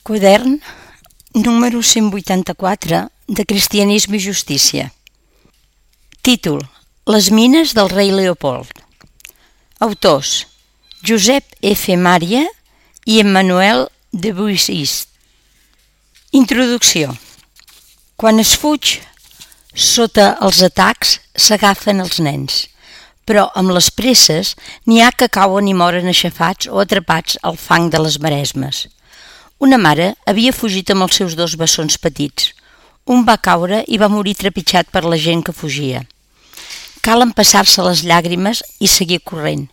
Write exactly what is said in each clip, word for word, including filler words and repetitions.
Quadern número cent vuitanta-quatre de Cristianisme i Justícia. Títol: Les mines del rei Leopold. Autors: Josep F. Maria i Emmanuel de Buissist. Introducció. Quan es fuig sota els atacs s'agafen els nens, però amb les presses n'hi ha que cauen i moren aixafats o atrapats al fang de les maresmes. Una mare havia fugit amb els seus dos bessons petits. Un va caure i va morir trepitjat per la gent que fugia. Cal empassar-se les llàgrimes i seguir corrent.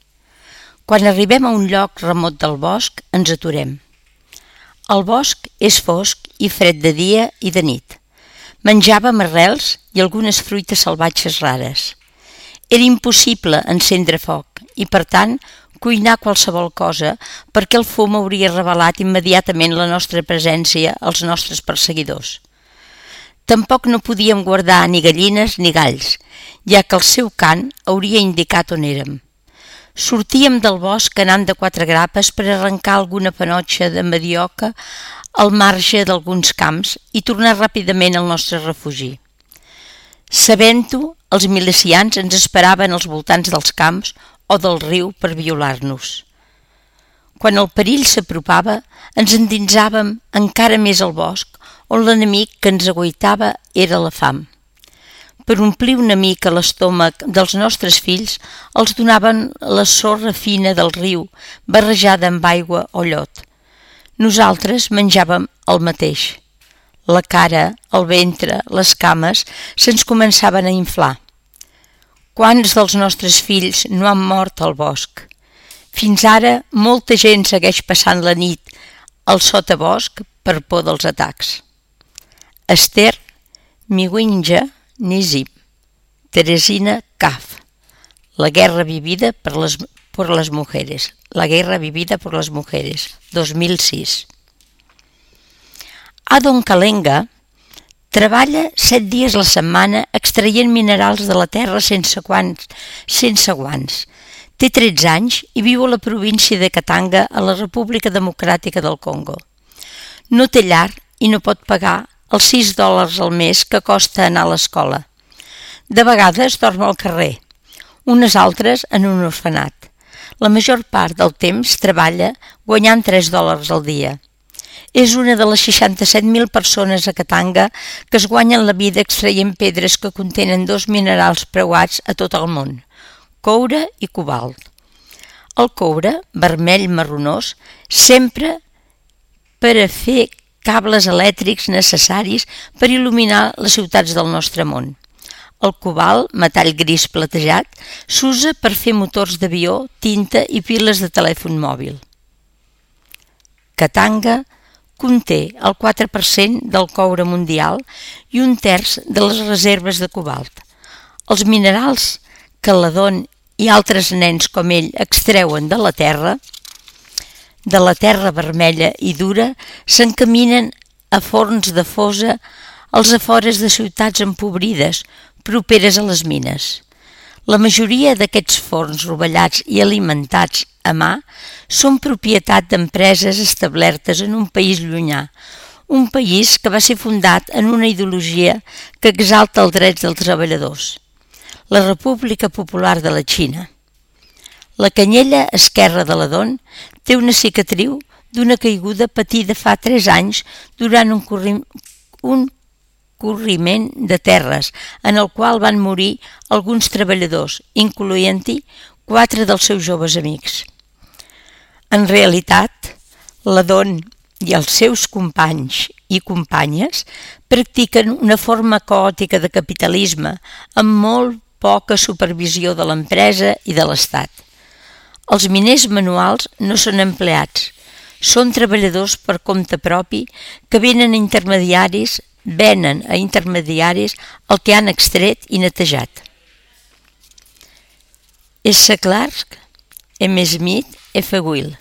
Quan arribem a un lloc remot del bosc, ens aturem. El bosc és fosc i fred de dia i de nit. Menjàvem arrels i algunes fruites salvatges rares. Era impossible encendre foc i, per tant, cuinar qualsevol cosa perquè el fum hauria revelat immediatament la nostra presència als nostres perseguidors. Tampoc no podíem guardar ni gallines ni galls, ja que el seu cant hauria indicat on érem. Sortíem del bosc anant de quatre grapes per arrencar alguna panotxa de mandioca al marge d'alguns camps i tornar ràpidament al nostre refugi. Sabent-ho, els milicians ens esperaven als voltants dels camps o del riu per violar-nos. Quan el perill s'apropava, ens endinsàvem encara més al bosc, on l'enemic que ens aguaitava era la fam. Per omplir una mica l'estómac dels nostres fills, els donaven la sorra fina del riu, barrejada amb aigua o llot. Nosaltres menjàvem el mateix. La cara, el ventre, les cames se'ns començaven a inflar. Quants dels nostres fills no han mort al bosc? Fins ara, molta gent segueix passant la nit al sotabosc per por dels atacs. Esther Miwinja Nizim, Teresina Kaf. La guerra vivida per les, por les mujeres. La guerra vivida por las mujeres, dos mil sis. Adon Kalenga treballa set dies a la setmana extraient minerals de la terra sense guants. Sense guants. Té tretze anys i viu a la província de Katanga, a la República Democràtica del Congo. No té llar i no pot pagar els sis dòlars al mes que costa anar a l'escola. De vegades dorm al carrer, unes altres en un orfenat. La major part del temps treballa guanyant tres dòlars al dia. És una de les seixanta-set mil persones a Katanga que es guanyen la vida extraient pedres que contenen dos minerals preuats a tot el món, coure i cobalt. El coure, vermell marronós, s'empra per a fer cables elèctrics necessaris per il·luminar les ciutats del nostre món. El cobalt, metall gris platejat, s'usa per fer motors d'avió, tinta i piles de telèfon mòbil. Katanga conté el quatre per cent del coure mundial i un terç de les reserves de cobalt. Els minerals que l'Adon i altres nens com ell extreuen de la terra, de la terra vermella i dura, s'encaminen a forns de fosa als afores de ciutats empobrides, properes a les mines. La majoria d'aquests forns rovellats i alimentats a mà són propietat d'empreses establertes en un país llunyà, un país que va ser fundat en una ideologia que exalta els drets dels treballadors, la República Popular de la Xina. La canyella esquerra de l'Adon té una cicatriu d'una caiguda patida fa tres anys durant un, corri... un corriment de terres en el qual van morir alguns treballadors, incloent-hi quatre dels seus joves amics. En realitat, l'Adon i els seus companys i companyes practiquen una forma caòtica de capitalisme amb molt poca supervisió de l'empresa i de l'Estat. Els miners manuals no són empleats, són treballadors per compte propi que venen a intermediaris venen a intermediaris el que han extret i netejat. S. Clark, M. Smith, F. Will,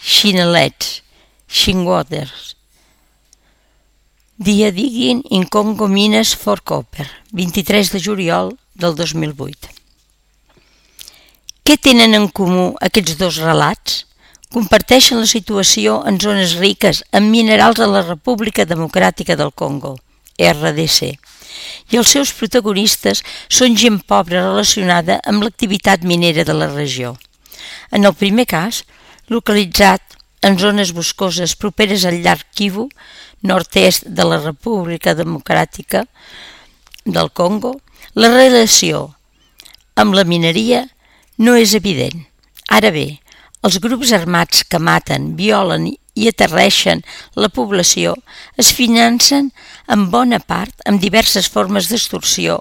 Chinelets, Shinwaters. Dia Digging in Congo Mines for Copper, vint-i-tres de juliol del dos mil vuit. Què tenen en comú aquests dos relats? comparteixen la situació en zones riques en minerals a la República Democràtica del Congo, R D C, i els seus protagonistes són gent pobra relacionada amb l'activitat minera de la regió. En el primer cas, localitzat en zones boscoses properes al llac Kivu, nord-est de la República Democràtica del Congo, la relació amb la mineria no és evident. Ara bé, els grups armats que maten, violen i aterreixen la població es financen en bona part amb diverses formes d'extorsió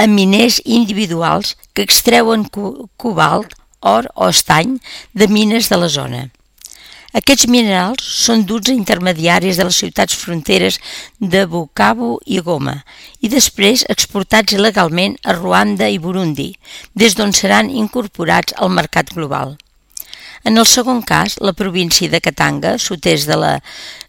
a miners individuals que extreuen cobalt, or o estany de mines de la zona. Aquests minerals són duts a intermediaris de les ciutats fronteres de Bukavu i Goma i després exportats il·legalment a Ruanda i Burundi, des d'on seran incorporats al mercat global. En el segon cas, la província de Katanga, sud-est de la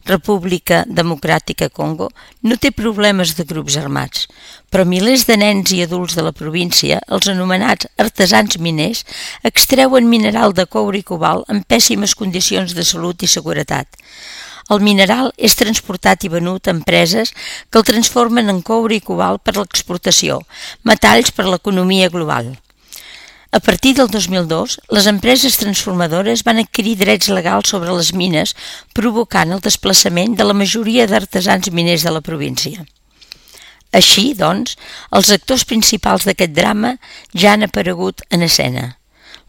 República Democràtica Congo, no té problemes de grups armats, però milers de nens i adults de la província, els anomenats artesans miners, extreuen mineral de coure i cobalt en pèssimes condicions de salut i seguretat. El mineral és transportat i venut a empreses que el transformen en coure i cobalt per l'exportació, metalls per l'economia global. A partir del dos mil dos, les empreses transformadores van adquirir drets legals sobre les mines, provocant el desplaçament de la majoria d'artesans miners de la província. Així, doncs, els actors principals d'aquest drama ja han aparegut en escena.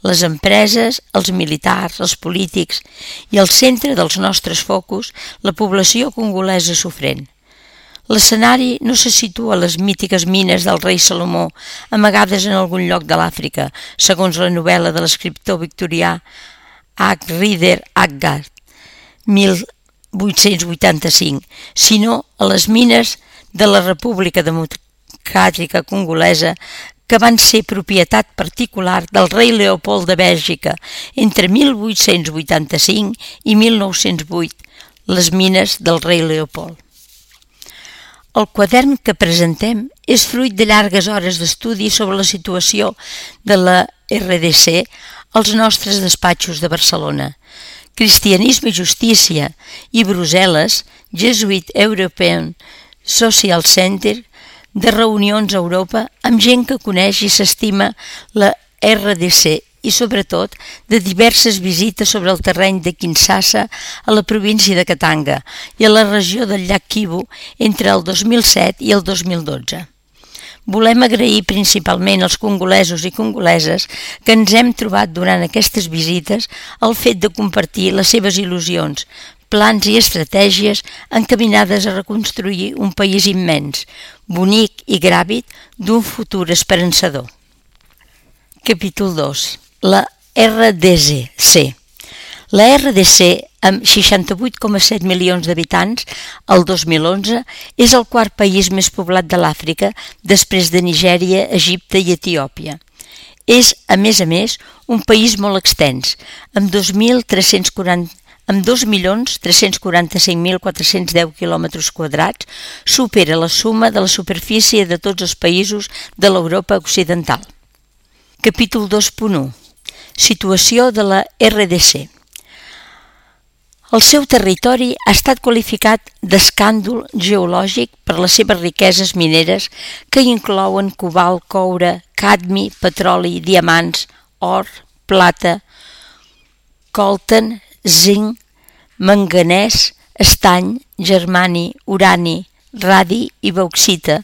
Les empreses, els militars, els polítics i al centre dels nostres focus, la població congolesa sofrent. L'escenari no se situa a les mítiques mines del rei Salomó, amagades en algun lloc de l'Àfrica, segons la novel·la de l'escriptor victorià H. Rider Haggard, mil vuit-cents vuitanta-cinc, sinó a les mines de la República Democràtica Congolesa, que van ser propietat particular del rei Leopold de Bèlgica entre mil vuit-cents vuitanta-cinc i mil nou-cents vuit, les mines del rei Leopold. El quadern que presentem és fruit de llargues hores d'estudi sobre la situació de la R D C als nostres despatxos de Barcelona. Cristianisme i Justícia i Brussel·les, Jesuit European Social Center, de reunions a Europa amb gent que coneix i s'estima la R D C i, sobretot, de diverses visites sobre el terreny de Kinshasa a la província de Katanga i a la regió del llac Kivu entre el dos mil set i el dos mil dotze. Volem agrair principalment als congolesos i congoleses que ens hem trobat durant aquestes visites el fet de compartir les seves il·lusions, plans i estratègies encaminades a reconstruir un país immens, bonic i gràvid d'un futur esperançador. Capítol dos. La R D C. La R D C, amb seixanta-vuit coma set milions d'habitants, el dos mil onze, és el quart país més poblat de l'Àfrica després de Nigèria, Egipte i Etiòpia. És, a més a més, un país molt extens, amb dos mil tres-cents quaranta amb dos milions tres-cents quaranta-cinc mil quatre-cents deu quilòmetres quadrats, supera la suma de la superfície de tots els països de l'Europa occidental. Capítol dos punt u. Situació de la R D C. El seu territori ha estat qualificat d'escàndol geològic per les seves riqueses mineres que inclouen cobalt, coure, cadmi, petroli, diamants, or, plata, coltan, zinc, manganès, estany, germani, urani, radi i bauxita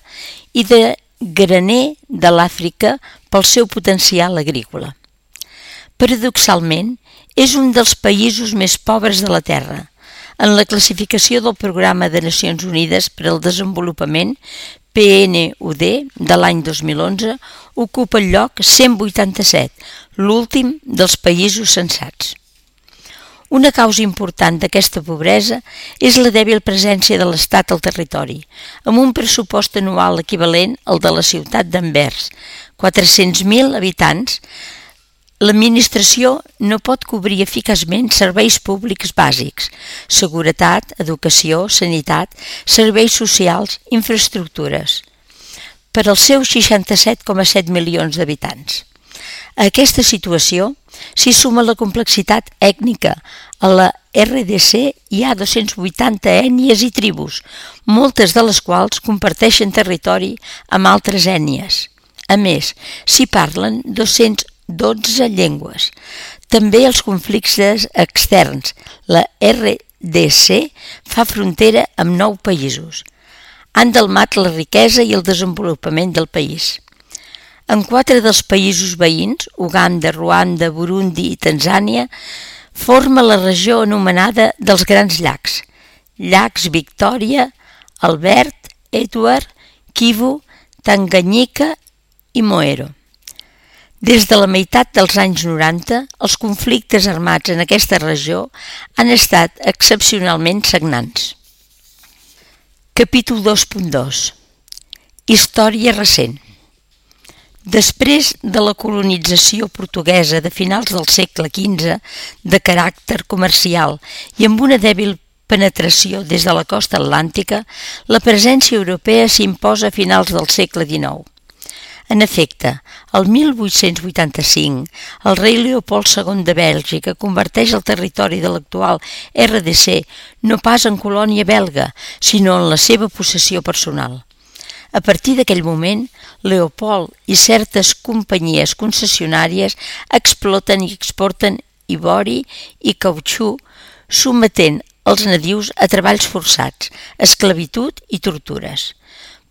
i de graner de l'Àfrica pel seu potencial agrícola. Paradoxalment, és un dels països més pobres de la Terra. En la classificació del Programa de Nacions Unides per al Desenvolupament, P N U D, de l'any dos mil onze, ocupa el lloc cent vuitanta-set, l'últim dels països censats. Una causa important d'aquesta pobresa és la dèbil presència de l'Estat al territori, amb un pressupost anual equivalent al de la ciutat d'Anvers, quatre-cents mil habitants. L'administració no pot cobrir eficaçment serveis públics bàsics, seguretat, educació, sanitat, serveis socials, infraestructures, per als seus seixanta-set coma set milions d'habitants. A aquesta situació s'hi suma la complexitat ètnica. A la R D C hi ha dos-cents vuitanta ètnies i tribus, moltes de les quals comparteixen territori amb altres ètnies. A més, s'hi parlen dos-cents dotze llengües. També els conflictes externs. La R D C fa frontera amb nou països. Han delmat la riquesa i el desenvolupament del país. En quatre dels països veïns, Uganda, Ruanda, Burundi i Tanzània, forma la regió anomenada dels Grans Llacs. Llacs Victòria, Albert, Edward, Kivu, Tanganyika i Moero. Des de la meitat dels anys noranta, els conflictes armats en aquesta regió han estat excepcionalment sagnants. Capítol dos punt dos. Història recent. Després de la colonització portuguesa de finals del segle quinze, de caràcter comercial i amb una dèbil penetració des de la costa atlàntica, la presència europea s'imposa a finals del segle dinou. En efecte, el mil vuit-cents vuitanta-cinc, el rei Leopold segon de Bèlgica converteix el territori de l'actual R D C no pas en colònia belga, sinó en la seva possessió personal. A partir d'aquell moment, Leopold i certes companyies concessionàries exploten i exporten ivori i cautxú, sometent els nadius a treballs forçats, esclavitud i tortures.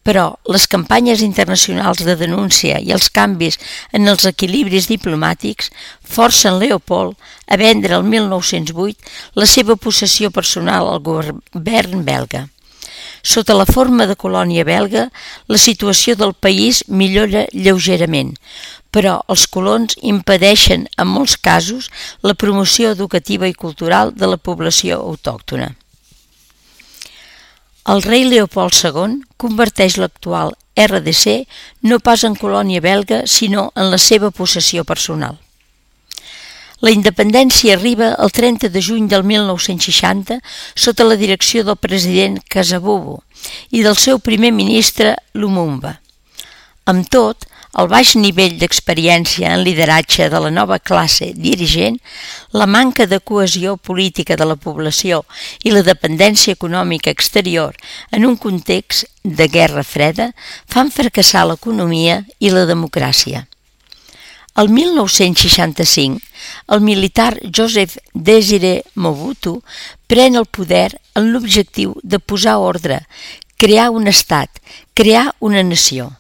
Però les campanyes internacionals de denúncia i els canvis en els equilibris diplomàtics forcen Leopold a vendre el mil nou-cents vuit la seva possessió personal al govern belga. Sota la forma de colònia belga, la situació del país millora lleugerament, però els colons impedeixen, en molts casos, la promoció educativa i cultural de la població autòctona. El rei Leopold segon converteix l'actual R D C no pas en colònia belga, sinó en la seva possessió personal. La independència arriba el trenta de juny del mil nou-cents seixanta sota la direcció del president Kasavubu i del seu primer ministre Lumumba. Amb tot, el baix nivell d'experiència en lideratge de la nova classe dirigent, la manca de cohesió política de la població i la dependència econòmica exterior en un context de guerra freda fan fracassar l'economia i la democràcia. El mil nou-cents seixanta-cinc, el militar Joseph Désiré Mobutu pren el poder amb l'objectiu de posar ordre, crear un estat, crear una nació.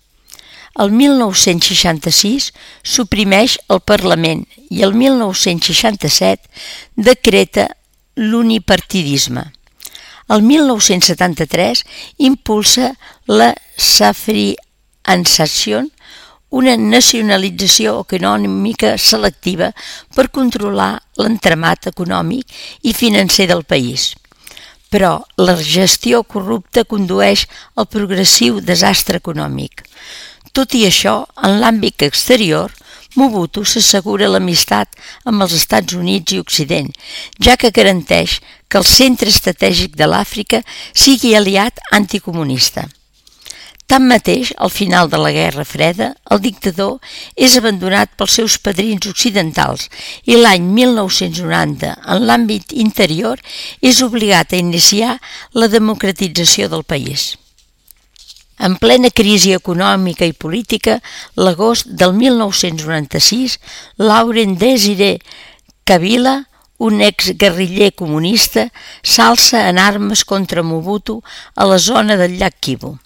El mil nou-cents seixanta-sis suprimeix el Parlament i el mil nou-cents seixanta-set decreta l'unipartidisme. El mil nou-cents setanta-tres impulsa la safriansació, una nacionalització econòmica selectiva per controlar l'entramat econòmic i financer del país. Però la gestió corrupta condueix al progressiu desastre econòmic. Tot i això, en l'àmbit exterior, Mobutu s'assegura l'amistat amb els Estats Units i Occident, ja que garanteix que el centre estratègic de l'Àfrica sigui aliat anticomunista. Tanmateix, al final de la Guerra Freda, el dictador és abandonat pels seus padrins occidentals i l'any mil nou-cents noranta, en l'àmbit interior, és obligat a iniciar la democratització del país. En plena crisi econòmica i política, l'agost del mil nou-cents noranta-sis, Laurent Désiré Kabila, un exguerriller comunista, s'alça en armes contra Mobutu a la zona del llac Kivu.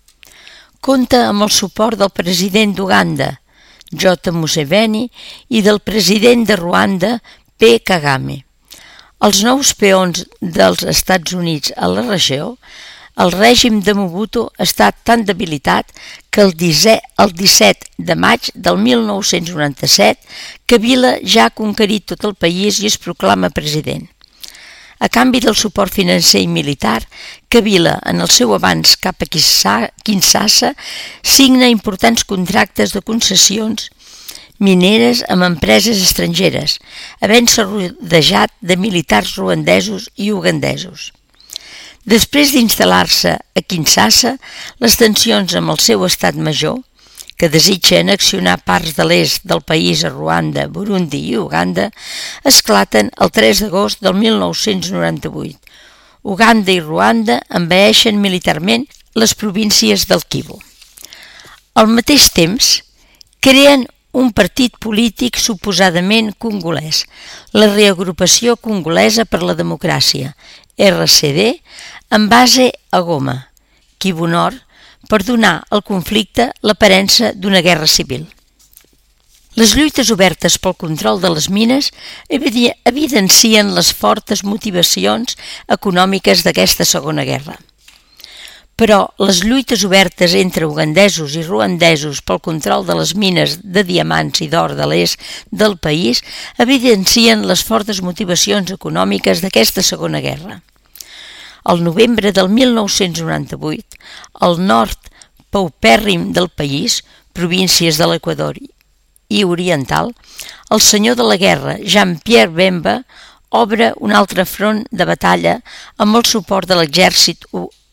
Compta amb el suport del president d'Uganda, J. Museveni, i del president de Ruanda, P. Kagame. Els nous peons dels Estats Units a la regió, el règim de Mobutu està tan debilitat que el disset de maig del mil nou-cents noranta-set Kabila ja ha conquerit tot el país i es proclama president. A canvi del suport financer i militar, Kabila, en el seu avanç cap a Kinshasa, signa importants contractes de concessions mineres amb empreses estrangeres, havent-se rodejat de militars ruandesos i ugandesos. Després d'instal·lar-se a Kinshasa, les tensions amb el seu estat major, que desitja annexionar parts de l'est del país a Ruanda, Burundi i Uganda, esclaten el tres d'agost del mil nou-cents noranta-vuit. Uganda i Ruanda envaeixen militarment les províncies del Kivu. Al mateix temps, creen un partit polític suposadament congolès, la Reagrupació Congolesa per la Democràcia, R C D, en base a Goma, Kivu Nord, per donar al conflicte l'aparença d'una guerra civil. Les lluites obertes pel control de les mines evidencien les fortes motivacions econòmiques d'aquesta Segona Guerra. Però les lluites obertes entre ugandesos i ruandesos pel control de les mines de diamants i d'or de l'est del país evidencien les fortes motivacions econòmiques d'aquesta Segona Guerra. Al novembre del mil nou-cents noranta-vuit, al nord paupèrrim del país, províncies de l'Equador i oriental, el senyor de la guerra, Jean-Pierre Bemba, obre un altre front de batalla amb el suport de l'exèrcit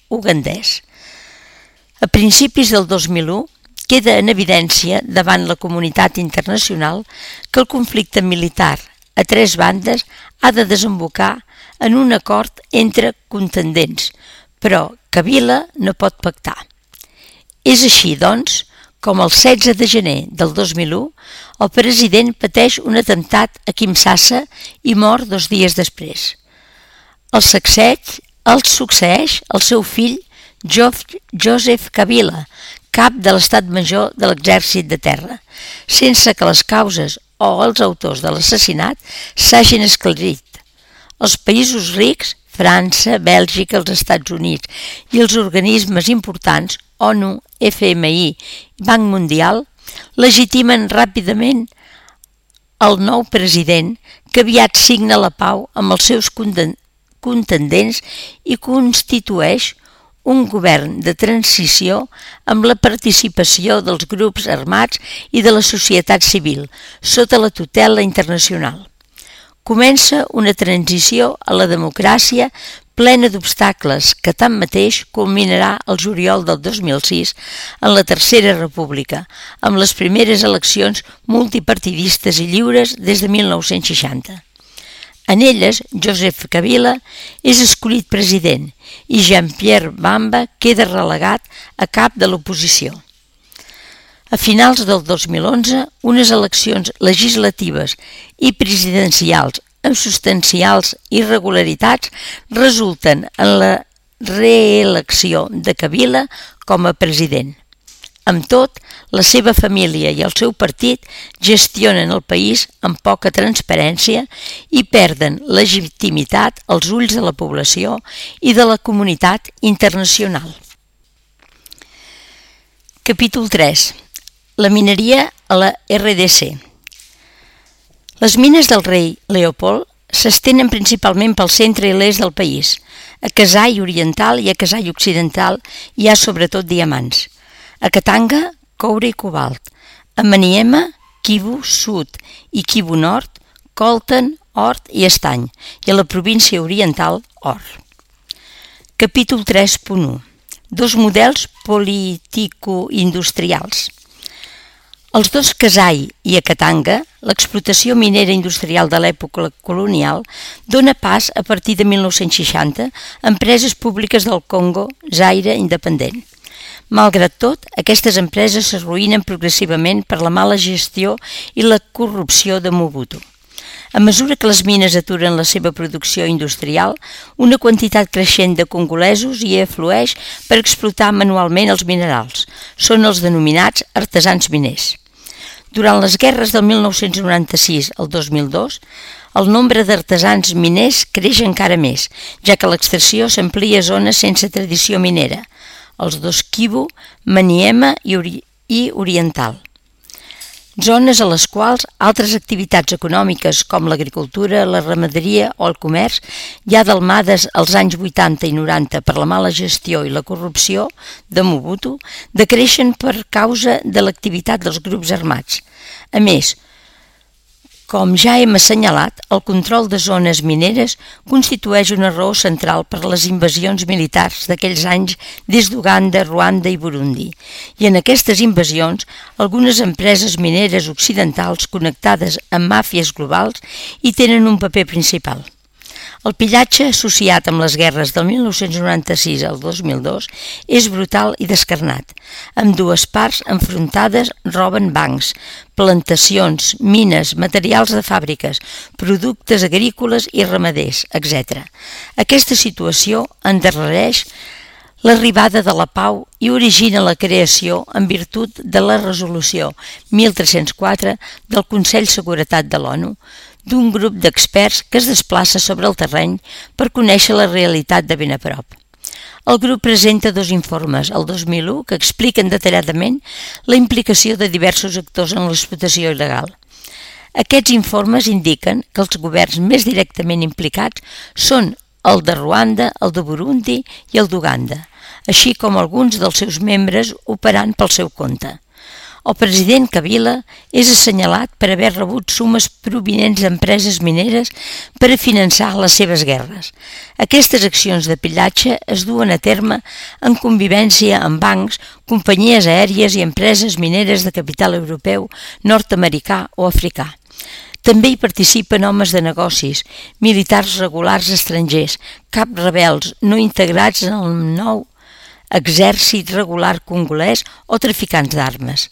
ugandès. A principis del dos mil u queda en evidència davant la comunitat internacional que el conflicte militar a tres bandes ha de desembocar en un acord entre contendents, però Kabila no pot pactar. És així, doncs, com el setze de gener del dos mil u el president pateix un atemptat a Kinshasa i mor dos dies després. El sacseig el succeeix el seu fill Joseph Kabila, cap de l'Estat Major de l'Exèrcit de Terra, sense que les causes o els autors de l'assassinat s'hagin esclarit. Els països rics, França, Bèlgica, els Estats Units i els organismes importants, ONU, F M I i Banc Mundial, legitimen ràpidament el nou president que aviat signa la pau amb els seus contendents i constitueix un govern de transició amb la participació dels grups armats i de la societat civil, sota la tutela internacional. Comença una transició a la democràcia plena d'obstacles que tanmateix culminarà el juliol del dos mil sis en la Tercera República, amb les primeres eleccions multipartidistes i lliures des de mil nou-cents seixanta. En elles, Joseph Kabila és escollit president i Jean-Pierre Bemba queda relegat a cap de l'oposició. A finals del dos mil onze, unes eleccions legislatives i presidencials amb substancials irregularitats resulten en la reelecció de Kabila com a president. Amb tot, la seva família i el seu partit gestionen el país amb poca transparència i perden legitimitat als ulls de la població i de la comunitat internacional. Capítol tres. La mineria a la R D C. Les mines del rei Leopold s'estenen principalment pel centre i l'est del país. A Kasai oriental i a Kasai occidental hi ha sobretot diamants. A Katanga, coure i cobalt. A Maniema, Kivu Sud i Kivu Nord, coltan, or i estany. I a la província oriental, or. Capítol tres punt u. Dos models político-industrials. Als dos Kasai i a Katanga, l'explotació minera industrial de l'època colonial dona pas a partir de mil nou-cents seixanta a empreses públiques del Congo, Zaire independent. Malgrat tot, aquestes empreses s'arruïnen progressivament per la mala gestió i la corrupció de Mobutu. A mesura que les mines aturen la seva producció industrial, una quantitat creixent de congolesos hi aflueix per explotar manualment els minerals. Són els denominats artesans miners. Durant les guerres del mil nou-cents noranta-sis al dos mil dos, el nombre d'artesans miners creix encara més, ja que l'extracció s'amplia a zones sense tradició minera, els dos Kivu, Maniema i, ori i Oriental. Zones a les quals altres activitats econòmiques com l'agricultura, la ramaderia o el comerç, ja delmades als anys vuitanta i noranta per la mala gestió i la corrupció de Mobutu, decreixen per causa de l'activitat dels grups armats. A més, Com ja hem assenyalat, el control de zones mineres constitueix una raó central per a les invasions militars d'aquells anys des d'Uganda, Ruanda i Burundi, i en aquestes invasions algunes empreses mineres occidentals connectades amb màfies globals hi tenen un paper principal. El pillatge associat amb les guerres del mil nou-cents noranta-sis al dos mil dos és brutal i descarnat. Ambdues parts enfrontades roben bancs, plantacions, mines, materials de fàbriques, productes agrícoles i ramaders, etcètera. Aquesta situació endarrereix l'arribada de la pau i origina la creació en virtut de la resolució mil tres-cents quatre del Consell de Seguretat de l'ONU, d'un grup d'experts que es desplaça sobre el terreny per conèixer la realitat de ben a prop. El grup presenta dos informes, el dos mil u, que expliquen detalladament la implicació de diversos actors en l'explotació il·legal. Aquests informes indiquen que els governs més directament implicats són el de Ruanda, el de Burundi i el d'Uganda, així com alguns dels seus membres operant pel seu compte. El president Kabila és assenyalat per haver rebut sumes provinents d'empreses mineres per a finançar les seves guerres. Aquestes accions de pillatge es duen a terme en convivència amb bancs, companyies aèries i empreses mineres de capital europeu, nord-americà o africà. També hi participen homes de negocis, militars regulars estrangers, caps rebels no integrats en el nou exèrcit regular congolès o traficants d'armes.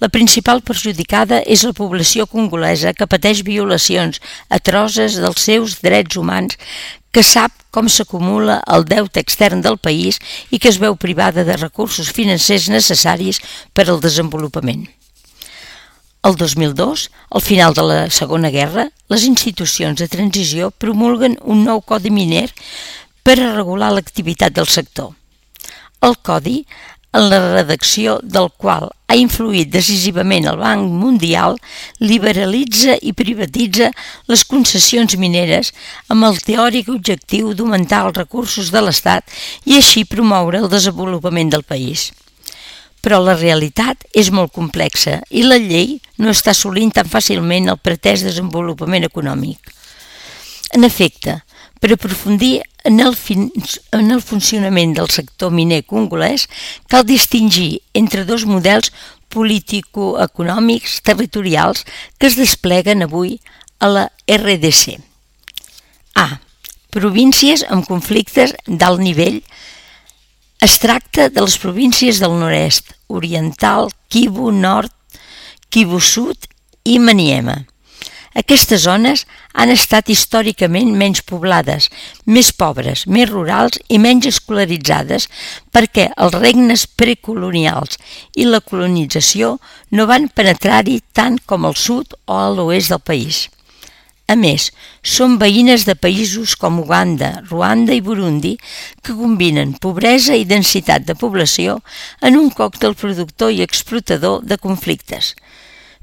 La principal perjudicada és la població congolesa que pateix violacions atroses dels seus drets humans, que sap com s'acumula el deute extern del país i que es veu privada de recursos financers necessaris per al desenvolupament. El dos mil dos, al final de la Segona Guerra, les institucions de transició promulguen un nou codi miner per a regular l'activitat del sector. El codi, en la redacció del qual ha influït decisivament el Banc Mundial, liberalitza i privatitza les concessions mineres amb el teòric objectiu d'augmentar els recursos de l'Estat i així promoure el desenvolupament del país. Però la realitat és molt complexa i la llei no està assolint tan fàcilment el pretès desenvolupament econòmic. En efecte, per aprofundir en el, fin, en el funcionament del sector miner congolès, cal distingir entre dos models político-econòmics territorials que es despleguen avui a la R D C. A. Províncies amb conflictes d'alt nivell. Es tracta de les províncies del nord-est, oriental, Kivu Nord, Kivu Sud i Maniema. Aquestes zones han estat històricament menys poblades, més pobres, més rurals i menys escolaritzades perquè els regnes precolonials i la colonització no van penetrar-hi tant com al sud o a l'oest del país. A més, són veïnes de països com Uganda, Ruanda i Burundi que combinen pobresa i densitat de població en un còctel productor i explotador de conflictes.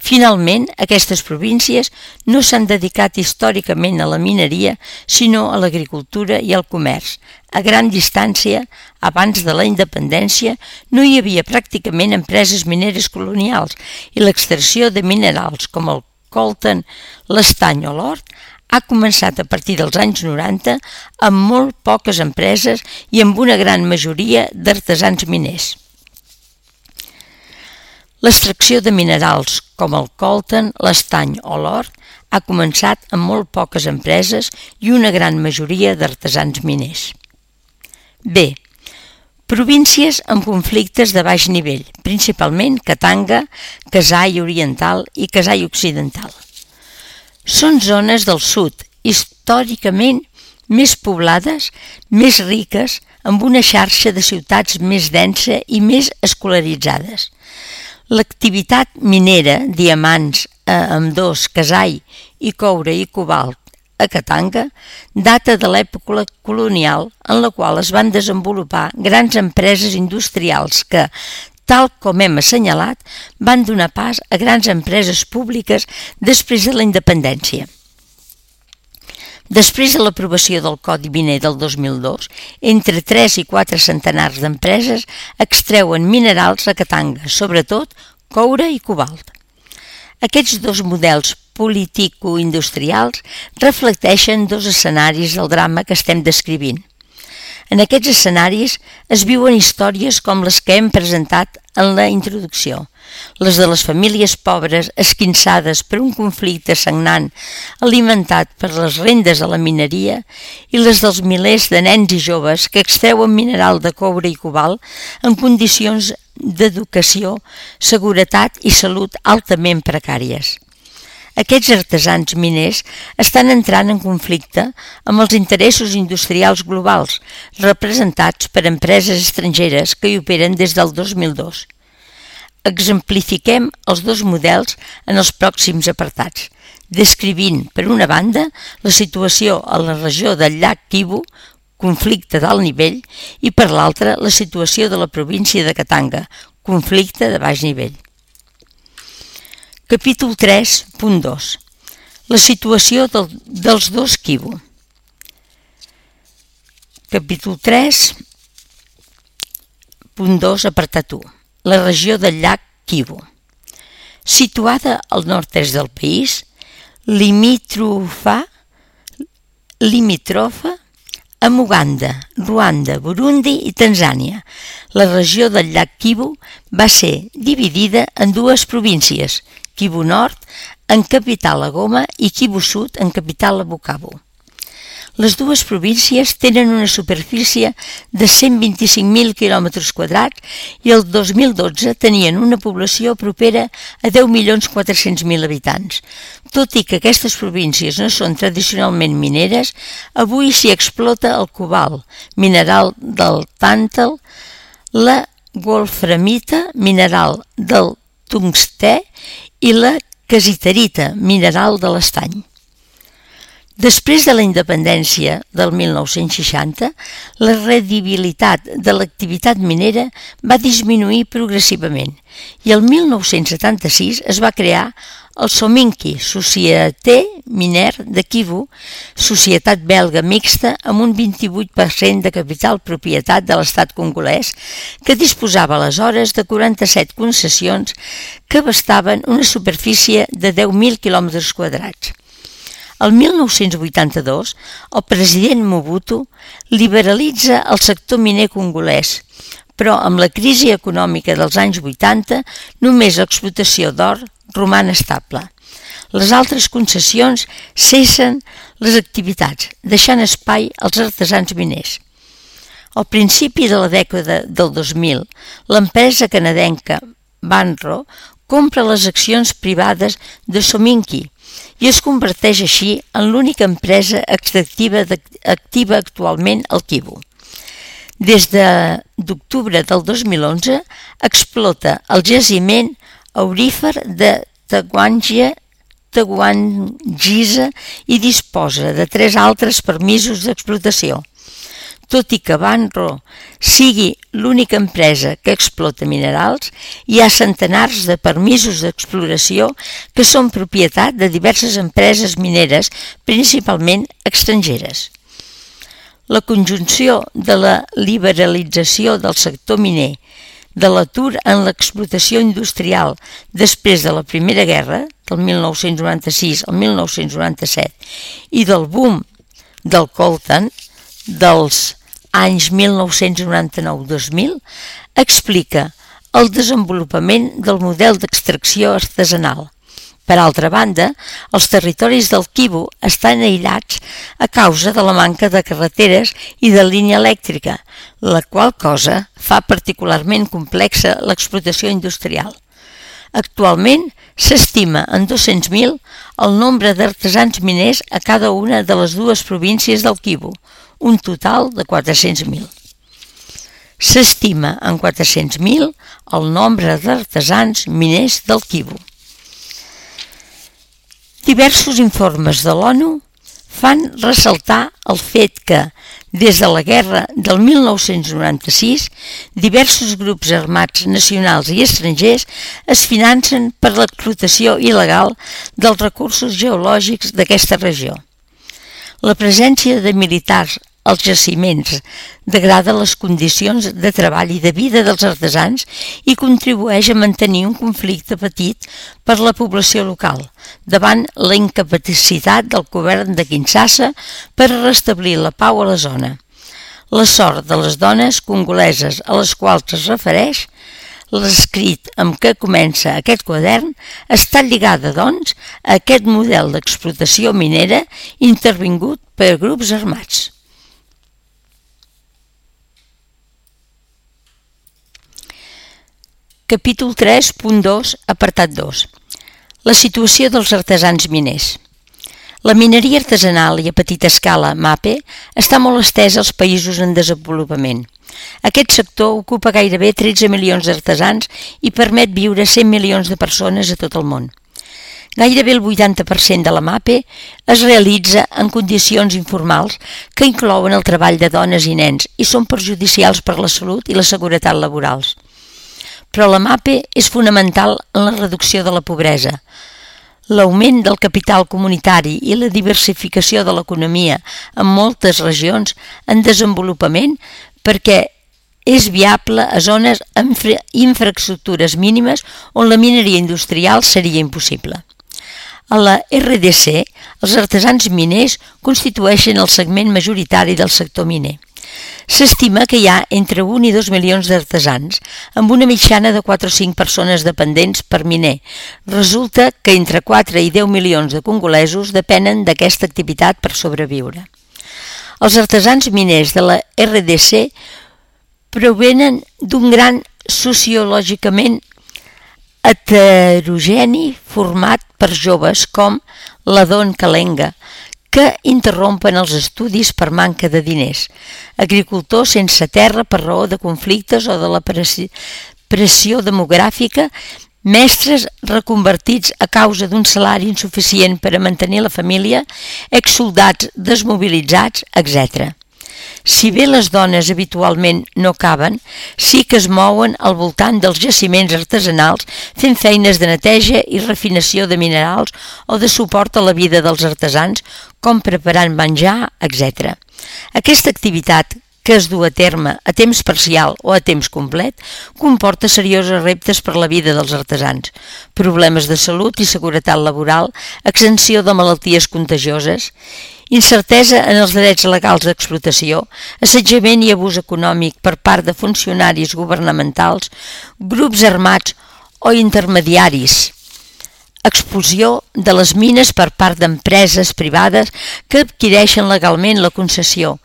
Finalment, aquestes províncies no s'han dedicat històricament a la mineria, sinó a l'agricultura i al comerç. A gran distància, abans de la independència, no hi havia pràcticament empreses mineres colonials i l'extracció de minerals com el coltan, l'estany o l'or ha començat a partir dels anys noranta amb molt poques empreses i amb una gran majoria d'artesans miners. L'extracció de minerals com el coltan, l'estany o l'or ha començat amb molt poques empreses i una gran majoria d'artesans miners. B. Províncies amb conflictes de baix nivell, principalment Katanga, Kasai Oriental i Kasai Occidental. Són zones del sud, històricament més poblades, més riques, amb una xarxa de ciutats més densa i més escolaritzades. L'activitat minera, diamants a ambdós, Kasai i coure i cobalt a Katanga, data de l'època colonial en la qual es van desenvolupar grans empreses industrials que, tal com hem assenyalat, van donar pas a grans empreses públiques després de la independència. Després de l'aprovació del Codi Miner del dos mil dos, entre tres i quatre centenars d'empreses extreuen minerals a Katanga, sobretot coure i cobalt. Aquests dos models politico-industrials reflecteixen dos escenaris del drama que estem descrivint. En aquests escenaris es viuen històries com les que hem presentat en la introducció, les de les famílies pobres esquinçades per un conflicte sagnant alimentat per les rendes de la mineria i les dels milers de nens i joves que extreuen mineral de coure i cobalt en condicions d'educació, seguretat i salut altament precàries. Aquests artesans miners estan entrant en conflicte amb els interessos industrials globals representats per empreses estrangeres que hi operen des del dos mil dos. Exemplifiquem els dos models en els pròxims apartats, descrivint, per una banda, la situació a la regió del llac Kivu, conflicte d'alt nivell, i per l'altra, la situació de la província de Katanga, conflicte de baix nivell. Capítol tres punt dos. La situació del, dels dos Kivu. Capítol tres punt dos, apartat u. La regió del llac Kivu. Situada al nord-est del país, limítrofa, limítrofa amb Uganda, Ruanda, Burundi i Tanzània. La regió del llac Kivu va ser dividida en dues províncies, Kivu Nord, en capital a Goma, i Kivu Sud, en capital a Bukavu. Les dues províncies tenen una superfície de cent vint-i-cinc mil quilòmetres quadrats i el dos mil dotze tenien una població propera a deu milions quatre-cents mil habitants. Tot i que aquestes províncies no són tradicionalment mineres, avui s'hi explota el cobalt, mineral del tàntal, la wolframita, mineral del tungstè, i la casiterita, mineral de l'estany. Després de la independència del mil nou-cents seixanta, la rendibilitat de l'activitat minera va disminuir progressivament i el mil nou-cents setanta-sis es va crear el Sominki, Société Minière de Kivu, societat belga mixta amb un vint-i-vuit per cent de capital propietat de l'estat congolès, que disposava aleshores de quaranta-set concessions que abastaven una superfície de deu mil quilòmetres quadrats. El mil nou-cents vuitanta-dos, el president Mobutu liberalitza el sector miner congolès, però amb la crisi econòmica dels anys vuitanta només l'explotació d'or roman estable. Les altres concessions cessen les activitats, deixant espai als artesans miners. Al principi de la dècada del dos mil, l'empresa canadenca Banro compra les accions privades de Sominki i es converteix així en l'única empresa extractiva activa actualment al Kivu. Des d'octubre del dos mil onze explota el jaciment aurífer de Taguangia, Taguangiza i disposa de tres altres permisos d'explotació. Tot i que Banro sigui l'única empresa que explota minerals, hi ha centenars de permisos d'exploració que són propietat de diverses empreses mineres, principalment estrangeres. La conjunció de la liberalització del sector miner, de l'atur en l'explotació industrial després de la Primera Guerra, del mil nou-cents noranta-sis al mil nou-cents noranta-set, i del boom del coltan dels anys mil nou-cents noranta-nou a dos mil, explica el desenvolupament del model d'extracció artesanal. Per altra banda, els territoris del Kivu estan aïllats a causa de la manca de carreteres i de línia elèctrica, la qual cosa fa particularment complexa l'explotació industrial. Actualment s'estima en dos-cents mil el nombre d'artesans miners a cada una de les dues províncies del Kivu, un total de quatre-cents mil. S'estima en quatre-cents mil el nombre d'artesans miners del Kivu. Diversos informes de l'ONU fan ressaltar el fet que, des de la guerra del mil nou-cents noranta-sis, diversos grups armats nacionals i estrangers es financen per l'explotació il·legal dels recursos geològics d'aquesta regió. La presència de militars als jaciments, degrada les condicions de treball i de vida dels artesans i contribueix a mantenir un conflicte patit per la població local, davant la incapacitat del govern de Kinshasa per restablir la pau a la zona. La sort de les dones congoleses a les quals es refereix l'escrit amb què comença aquest quadern està lligada, doncs, a aquest model d'explotació minera intervingut per grups armats. Capítol tres punt dos, apartat dos. La situació dels artesans miners. La mineria artesanal i a petita escala, MAPE, està molt estesa als països en desenvolupament. Aquest sector ocupa gairebé tretze milions d'artesans i permet viure cent milions de persones a tot el món. Gairebé el vuitanta per cent de la MAPE es realitza en condicions informals que inclouen el treball de dones i nens i són perjudicials per la salut i la seguretat laborals. Però la MAPE és fonamental en la reducció de la pobresa. L'augment del capital comunitari i la diversificació de l'economia en moltes regions en desenvolupament perquè és viable a zones amb infraestructures mínimes on la mineria industrial seria impossible. A la R D C, els artesans miners constitueixen el segment majoritari del sector miner. S'estima que hi ha entre un i dos milions d'artesans, amb una mitjana de quatre o cinc persones dependents per miner. Resulta que entre quatre i deu milions de congolesos depenen d'aquesta activitat per sobreviure. Els artesans miners de la R D C provenen d'un gran sociològicament heterogeni format per joves com l'Adon Kalenga, que interrompen els estudis per manca de diners, agricultors sense terra per raó de conflictes o de la pressió demogràfica, mestres reconvertits a causa d'un salari insuficient per a mantenir la família, exsoldats desmobilitzats, etcètera. Si bé les dones habitualment no caben, sí que es mouen al voltant dels jaciments artesanals fent feines de neteja i refinació de minerals o de suport a la vida dels artesans, com preparant menjar, etcètera. Aquesta activitat, que es du a terme a temps parcial o a temps complet, comporta seriosos reptes per la vida dels artesans, problemes de salut i seguretat laboral, exenció de malalties contagioses, incertesa en els drets legals d'explotació, assetjament i abús econòmic per part de funcionaris governamentals, grups armats o intermediaris, expulsió de les mines per part d'empreses privades que adquireixen legalment la concessió,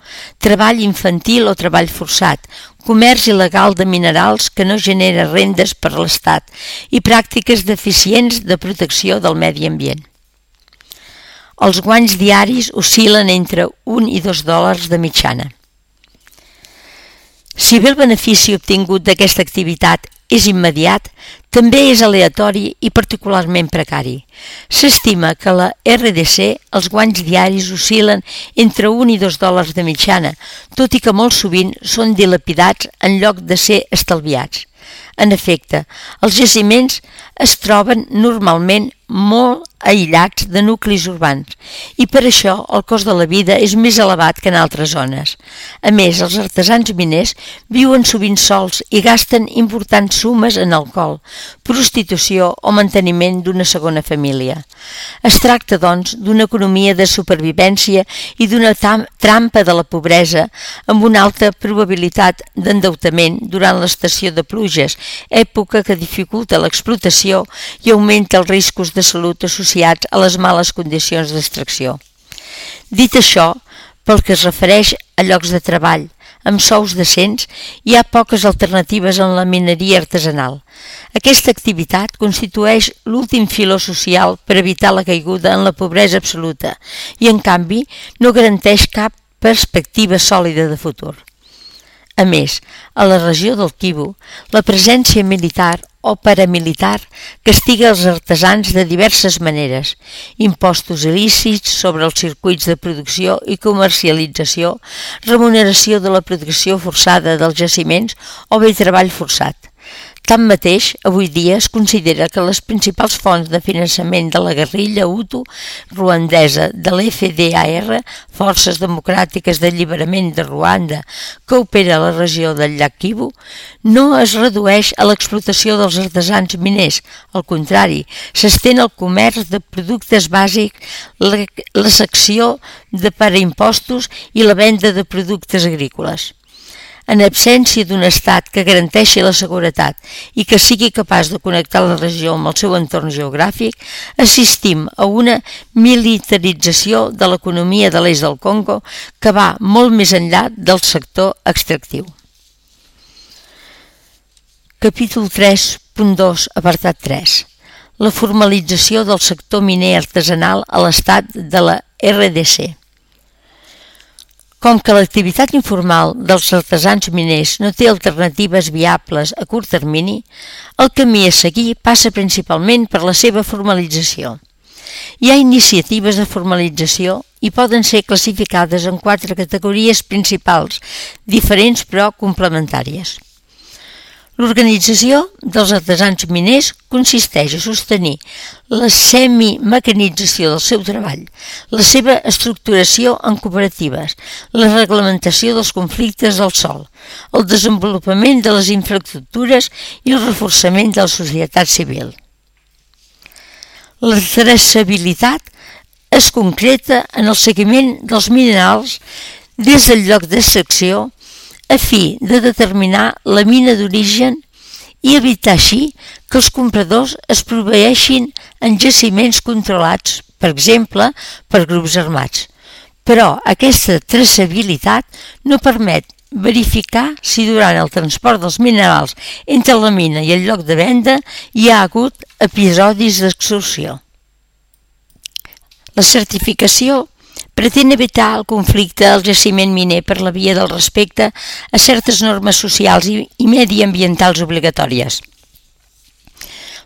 treball infantil o treball forçat, comerç il·legal de minerals que no genera rendes per l'Estat i pràctiques deficients de protecció del medi ambient. Els guanys diaris oscil·len entre un i dos dòlars de mitjana. Si bé el benefici obtingut d'aquesta activitat és immediat, també és aleatori i particularment precari. S'estima que a la R D C els guanys diaris oscil·len entre un i dos dòlars de mitjana, tot i que molt sovint són dilapidats en lloc de ser estalviats. En efecte, els jaciments es troben normalment molt aïllats de nuclis urbans i per això el cost de la vida és més elevat que en altres zones. A més, els artesans miners viuen sovint sols i gasten importants sumes en alcohol, prostitució o manteniment d'una segona família. Es tracta, doncs, d'una economia de supervivència i d'una trampa de la pobresa amb una alta probabilitat d'endeutament durant l'estació de pluges, època que dificulta l'explotació i augmenta els riscos de salut associats a les males condicions d'extracció. Dit això, pel que es refereix a llocs de treball amb sous decents, hi ha poques alternatives en la mineria artesanal. Aquesta activitat constitueix l'últim filó social per evitar la caiguda en la pobresa absoluta i, en canvi, no garanteix cap perspectiva sòlida de futur. A més, a la regió del Kivu, la presència militar o paramilitar castiga els artesans de diverses maneres, impostos il·lícits sobre els circuits de producció i comercialització, remuneració de la producció forçada dels jaciments o bé treball forçat. Tanmateix, avui dia es considera que les principals fonts de finançament de la guerrilla hutu ruandesa de l'F D A R, Forces Democràtiques d'Alliberament de Ruanda, que opera a la regió del llac Kivu, no es redueix a l'explotació dels artesans miners. Al contrari, s'estén el comerç de productes bàsics, la, la secció de per a impostos i la venda de productes agrícoles. En absència d'un estat que garanteixi la seguretat i que sigui capaç de connectar la regió amb el seu entorn geogràfic, assistim a una militarització de l'economia de l'est del Congo que va molt més enllà del sector extractiu. Capítol tres punt dos, apartat tres. La formalització del sector miner artesanal a l'estat de la R D C. Com que l'activitat informal dels artesans miners no té alternatives viables a curt termini, el camí a seguir passa principalment per la seva formalització. Hi ha iniciatives de formalització i poden ser classificades en quatre categories principals, diferents però complementàries. L'organització dels artesans miners consisteix a sostenir la semimecanització del seu treball, la seva estructuració en cooperatives, la reglamentació dels conflictes del sòl, el desenvolupament de les infraestructures i el reforçament de la societat civil. La traçabilitat es concreta en el seguiment dels minerals des del lloc d'extracció a fi de determinar la mina d'origen i evitar així que els compradors es proveeixin en jaciments controlats, per exemple, per grups armats. Però aquesta traçabilitat no permet verificar si durant el transport dels minerals entre la mina i el lloc de venda hi ha hagut episodis d'extorsió. La certificació pretén evitar el conflicte al jaciment miner per la via del respecte a certes normes socials i mediambientals obligatòries.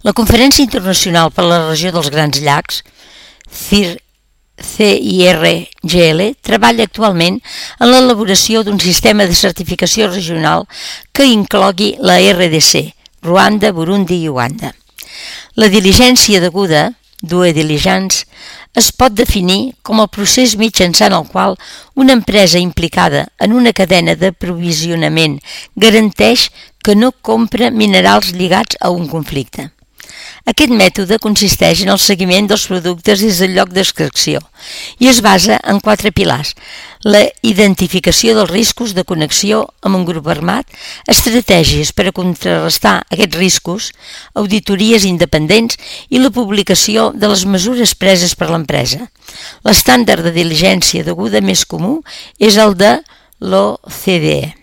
La Conferència Internacional per a la Regió dels Grans Llacs, C I R G L, treballa actualment en l'elaboració d'un sistema de certificació regional que inclogui la R D C, Ruanda, Burundi i Uganda. La diligència deguda, due diligence, es pot definir com el procés mitjançant el qual una empresa implicada en una cadena d'aprovisionament garanteix que no compra minerals lligats a un conflicte. Aquest mètode consisteix en el seguiment dels productes des del lloc d'extracció i es basa en quatre pilars: la identificació dels riscos de connexió amb un grup armat, estratègies per a contrarrestar aquests riscos, auditories independents i la publicació de les mesures preses per l'empresa. L'estàndard de diligència deguda més comú és el de l'O C D E.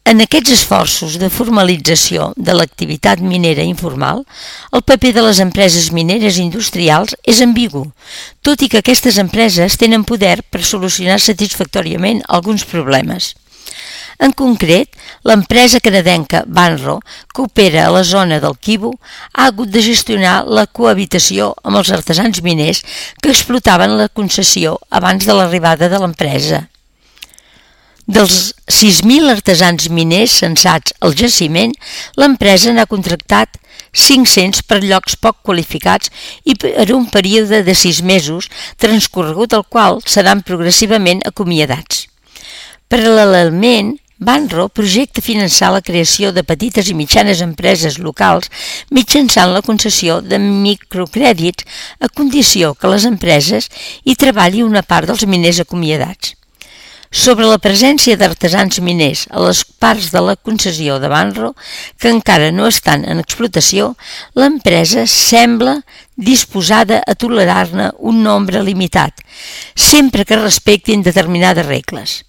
En aquests esforços de formalització de l'activitat minera informal, el paper de les empreses mineres industrials és ambigu, tot i que aquestes empreses tenen poder per solucionar satisfactòriament alguns problemes. En concret, l'empresa canadenca Banro, que opera a la zona del Kivu, ha hagut de gestionar la cohabitació amb els artesans miners que explotaven la concessió abans de l'arribada de l'empresa. Dels sis mil artesans miners censats al jaciment, l'empresa n'ha contractat cinc-cents per llocs poc qualificats i per un període de sis mesos, transcorregut el qual seran progressivament acomiadats. Paral·lelament, Banro projecta finançar la creació de petites i mitjanes empreses locals mitjançant la concessió de microcrèdits a condició que les empreses hi treballi una part dels miners acomiadats. Sobre la presència d'artesans miners a les parts de la concessió de Banro, que encara no estan en explotació, l'empresa sembla disposada a tolerar-ne un nombre limitat, sempre que respectin determinades regles.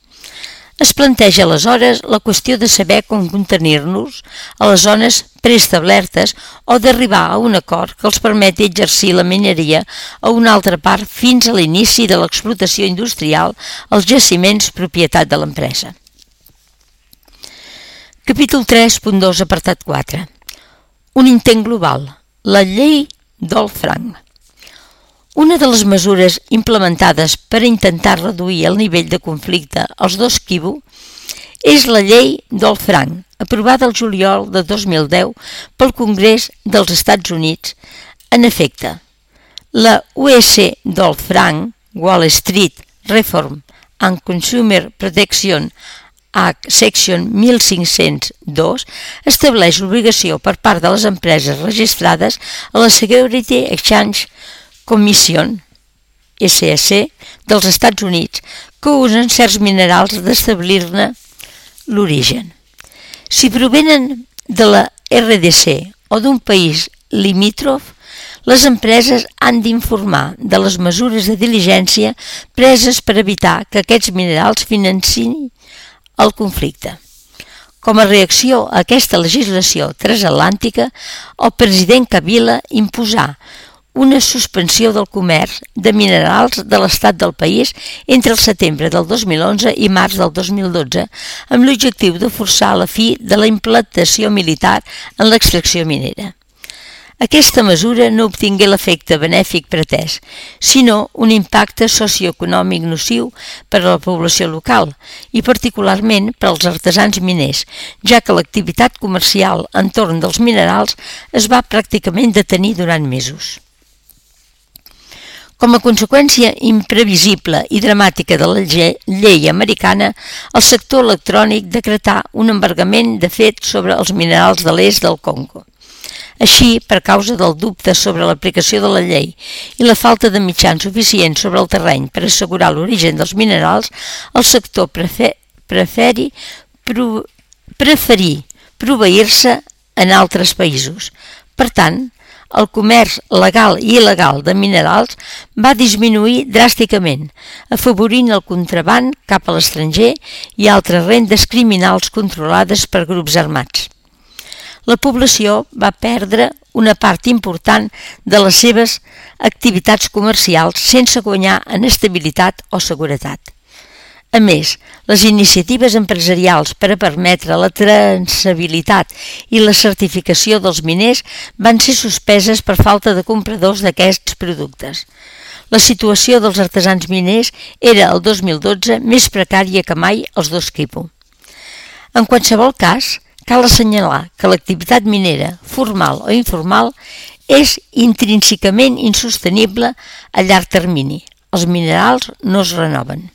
Es planteja aleshores la qüestió de saber com contenir-nos a les zones preestablertes o d'arribar a un acord que els permeti exercir la mineria a una altra part fins a l'inici de l'explotació industrial als jaciments propietat de l'empresa. Capítol tres punt dos, apartat quatre. Un intent global, la llei Dodd-Frank. Una de les mesures implementades per intentar reduir el nivell de conflicte als dos Kivu és la llei Dodd-Frank, aprovada el juliol de dos mil deu pel Congrés dels Estats Units. En efecte, la U S Dodd-Frank Wall Street Reform and Consumer Protection Act Section mil cinc-cents dos estableix l'obligació per part de les empreses registrades a la Security Exchange Commission S E C dels Estats Units que usen certs minerals d'establir-ne l'origen. Si provenen de la R D C o d'un país limítrof, les empreses han d'informar de les mesures de diligència preses per evitar que aquests minerals financin el conflicte. Com a reacció a aquesta legislació transatlàntica, el president Kabila imposà una suspensió del comerç de minerals de l'estat del país entre el setembre del dos mil onze i març del dos mil dotze, amb l'objectiu de forçar la fi de la implantació militar en l'extracció minera. Aquesta mesura no obtingué l'efecte benèfic pretès, sinó un impacte socioeconòmic nociu per a la població local i particularment per als artesans miners, ja que l'activitat comercial entorn dels minerals es va pràcticament detenir durant mesos. Com a conseqüència imprevisible i dramàtica de la llei americana, el sector electrònic decretà un embargament de fet sobre els minerals de l'est del Congo. Així, per causa del dubte sobre l'aplicació de la llei i la falta de mitjans suficients sobre el terreny per assegurar l'origen dels minerals, el sector prefer, preferi pro, preferir proveir-se en altres països. Per tant, el comerç legal i il·legal de minerals va disminuir dràsticament, afavorint el contraban cap a l'estranger i altres rendes criminals controlades per grups armats. La població va perdre una part important de les seves activitats comercials sense guanyar en estabilitat o seguretat. A més, les iniciatives empresarials per a permetre la traçabilitat i la certificació dels miners van ser suspeses per falta de compradors d'aquests productes. La situació dels artesans miners era el dos mil dotze més precària que mai als dos Kivu. En qualsevol cas, cal assenyalar que l'activitat minera, formal o informal, és intrínsecament insostenible a llarg termini. Els minerals no es renoven.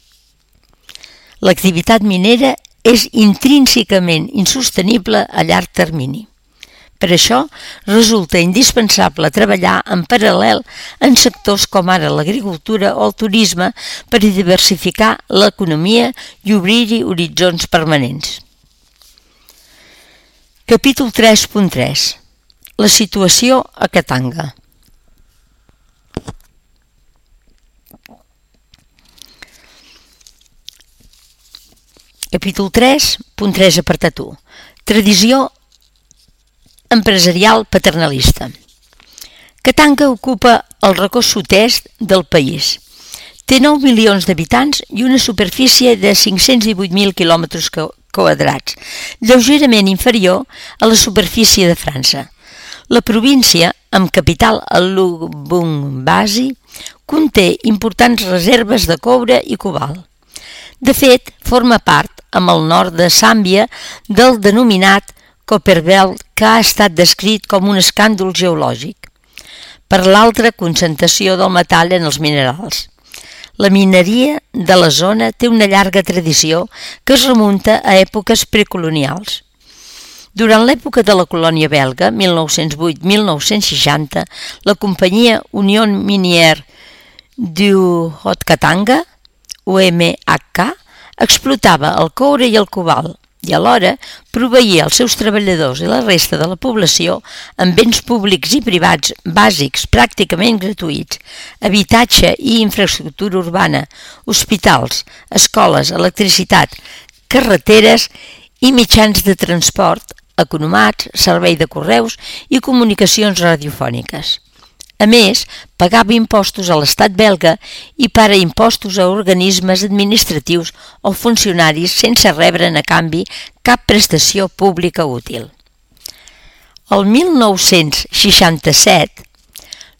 L'activitat minera és intrínsecament insostenible a llarg termini. Per això, resulta indispensable treballar en paral·lel en sectors com ara l'agricultura o el turisme per diversificar l'economia i obrir-hi horitzons permanents. Capítol tres punt tres. La situació a Katanga. Capítol tres punt tres apartat u. Tradició empresarial paternalista. Katanga ocupa el racó sud-est del país. Té nou milions d'habitants i una superfície de cinc-cents divuit mil quilòmetres quadrats, lleugerament inferior a la superfície de França. La província, amb capital a Lubumbashi, conté importants reserves de coure i cobalt. De fet, forma part, amb el nord de Zàmbia, del denominat Copperbelt, que ha estat descrit com un escàndol geològic, per l'alta concentració del metall en els minerals. La mineria de la zona té una llarga tradició que es remunta a èpoques precolonials. Durant l'època de la colònia belga, mil nou-cents vuit a mil nou-cents seixanta, la companyia Union Minière du Haut-Katanga, U M H K, explotava el coure i el cobalt i alhora proveïa els seus treballadors i la resta de la població amb béns públics i privats bàsics pràcticament gratuïts, habitatge i infraestructura urbana, hospitals, escoles, electricitat, carreteres i mitjans de transport, economats, servei de correus i comunicacions radiofòniques. A més, pagava impostos a l'estat belga i para impostos a organismes administratius o funcionaris sense rebre'n a canvi cap prestació pública útil. El mil nou-cents seixanta-set,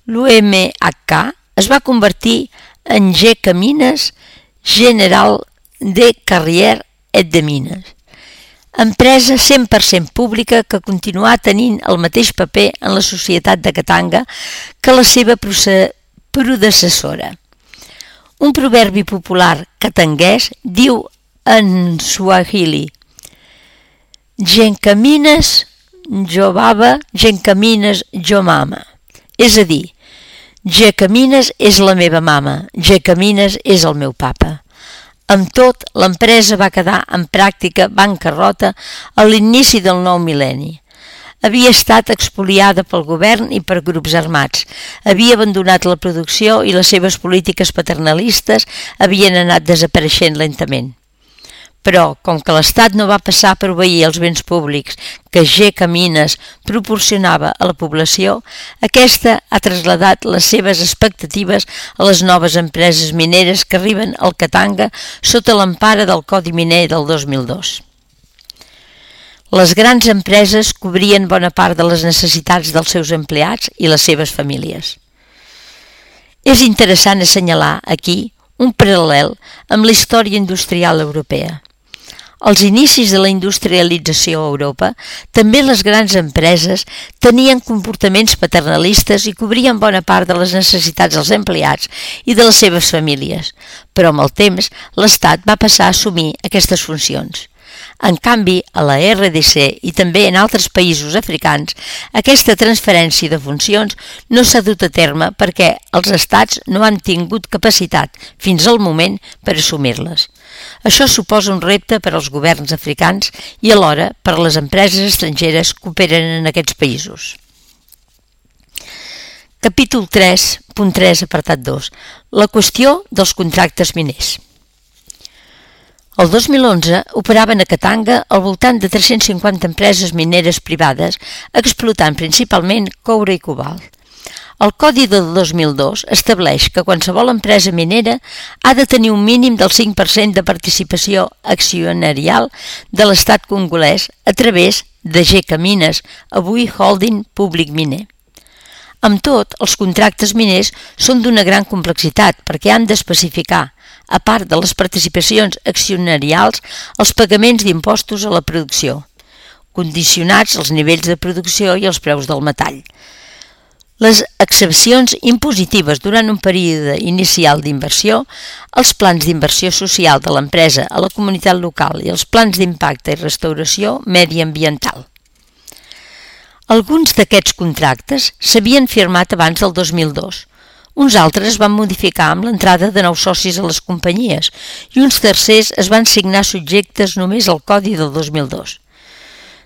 l'U M H K es va convertir en G Camines General de Carrière et de Mines. empresa cent per cent pública que continuà tenint el mateix paper en la societat de Katanga que la seva predecessora. Un proverbi popular katanguès diu en Swahili: Gencamines jo baba, gencamines jo mama. És a dir, Gencamines és la meva mama, Gencamines és el meu papa. Amb tot, l'empresa va quedar en pràctica bancarrota a l'inici del nou mil·lenni. Havia estat expoliada pel govern i per grups armats, havia abandonat la producció i les seves polítiques paternalistes havien anat desapareixent lentament. Però, com que l'Estat no va passar a proveir els béns públics que Gencamines proporcionava a la població, aquesta ha trasladat les seves expectatives a les noves empreses mineres que arriben al Katanga sota l'empara del Codi Miner del dos mil dos. Les grans empreses cobrien bona part de les necessitats dels seus empleats i les seves famílies. És interessant assenyalar aquí un paral·lel amb la història industrial europea. Als inicis de la industrialització a Europa, també les grans empreses tenien comportaments paternalistes i cobrien bona part de les necessitats dels empleats i de les seves famílies, però amb el temps l'Estat va passar a assumir aquestes funcions. En canvi, a la R D C i també en altres països africans, aquesta transferència de funcions no s'ha dut a terme perquè els estats no han tingut capacitat, fins al moment, per assumir-les. Això suposa un repte per als governs africans i alhora per a les empreses estrangeres que operen en aquests països. Capítol tres punt tres, apartat dos. La qüestió dels contractes miners. El dos mil onze operaven a Katanga al voltant de tres-cents cinquanta empreses mineres privades, explotant principalment coure i cobalt. El Codi del dos mil dos estableix que qualsevol empresa minera ha de tenir un mínim del cinc per cent de participació accionarial de l'estat congolès a través de Gencamines, avui Holding Públic Miner. Amb tot, els contractes miners són d'una gran complexitat perquè han d'especificar, a part de les participacions accionarials, els pagaments d'impostos a la producció, condicionats als nivells de producció i als preus del metall. Les excepcions impositives durant un període inicial d'inversió, els plans d'inversió social de l'empresa a la comunitat local i els plans d'impacte i restauració mediambiental. Alguns d'aquests contractes s'havien firmat abans del dos mil dos, uns altres van modificar amb l'entrada de nous socis a les companyies i uns tercers es van signar subjectes només al Codi del dos mil dos.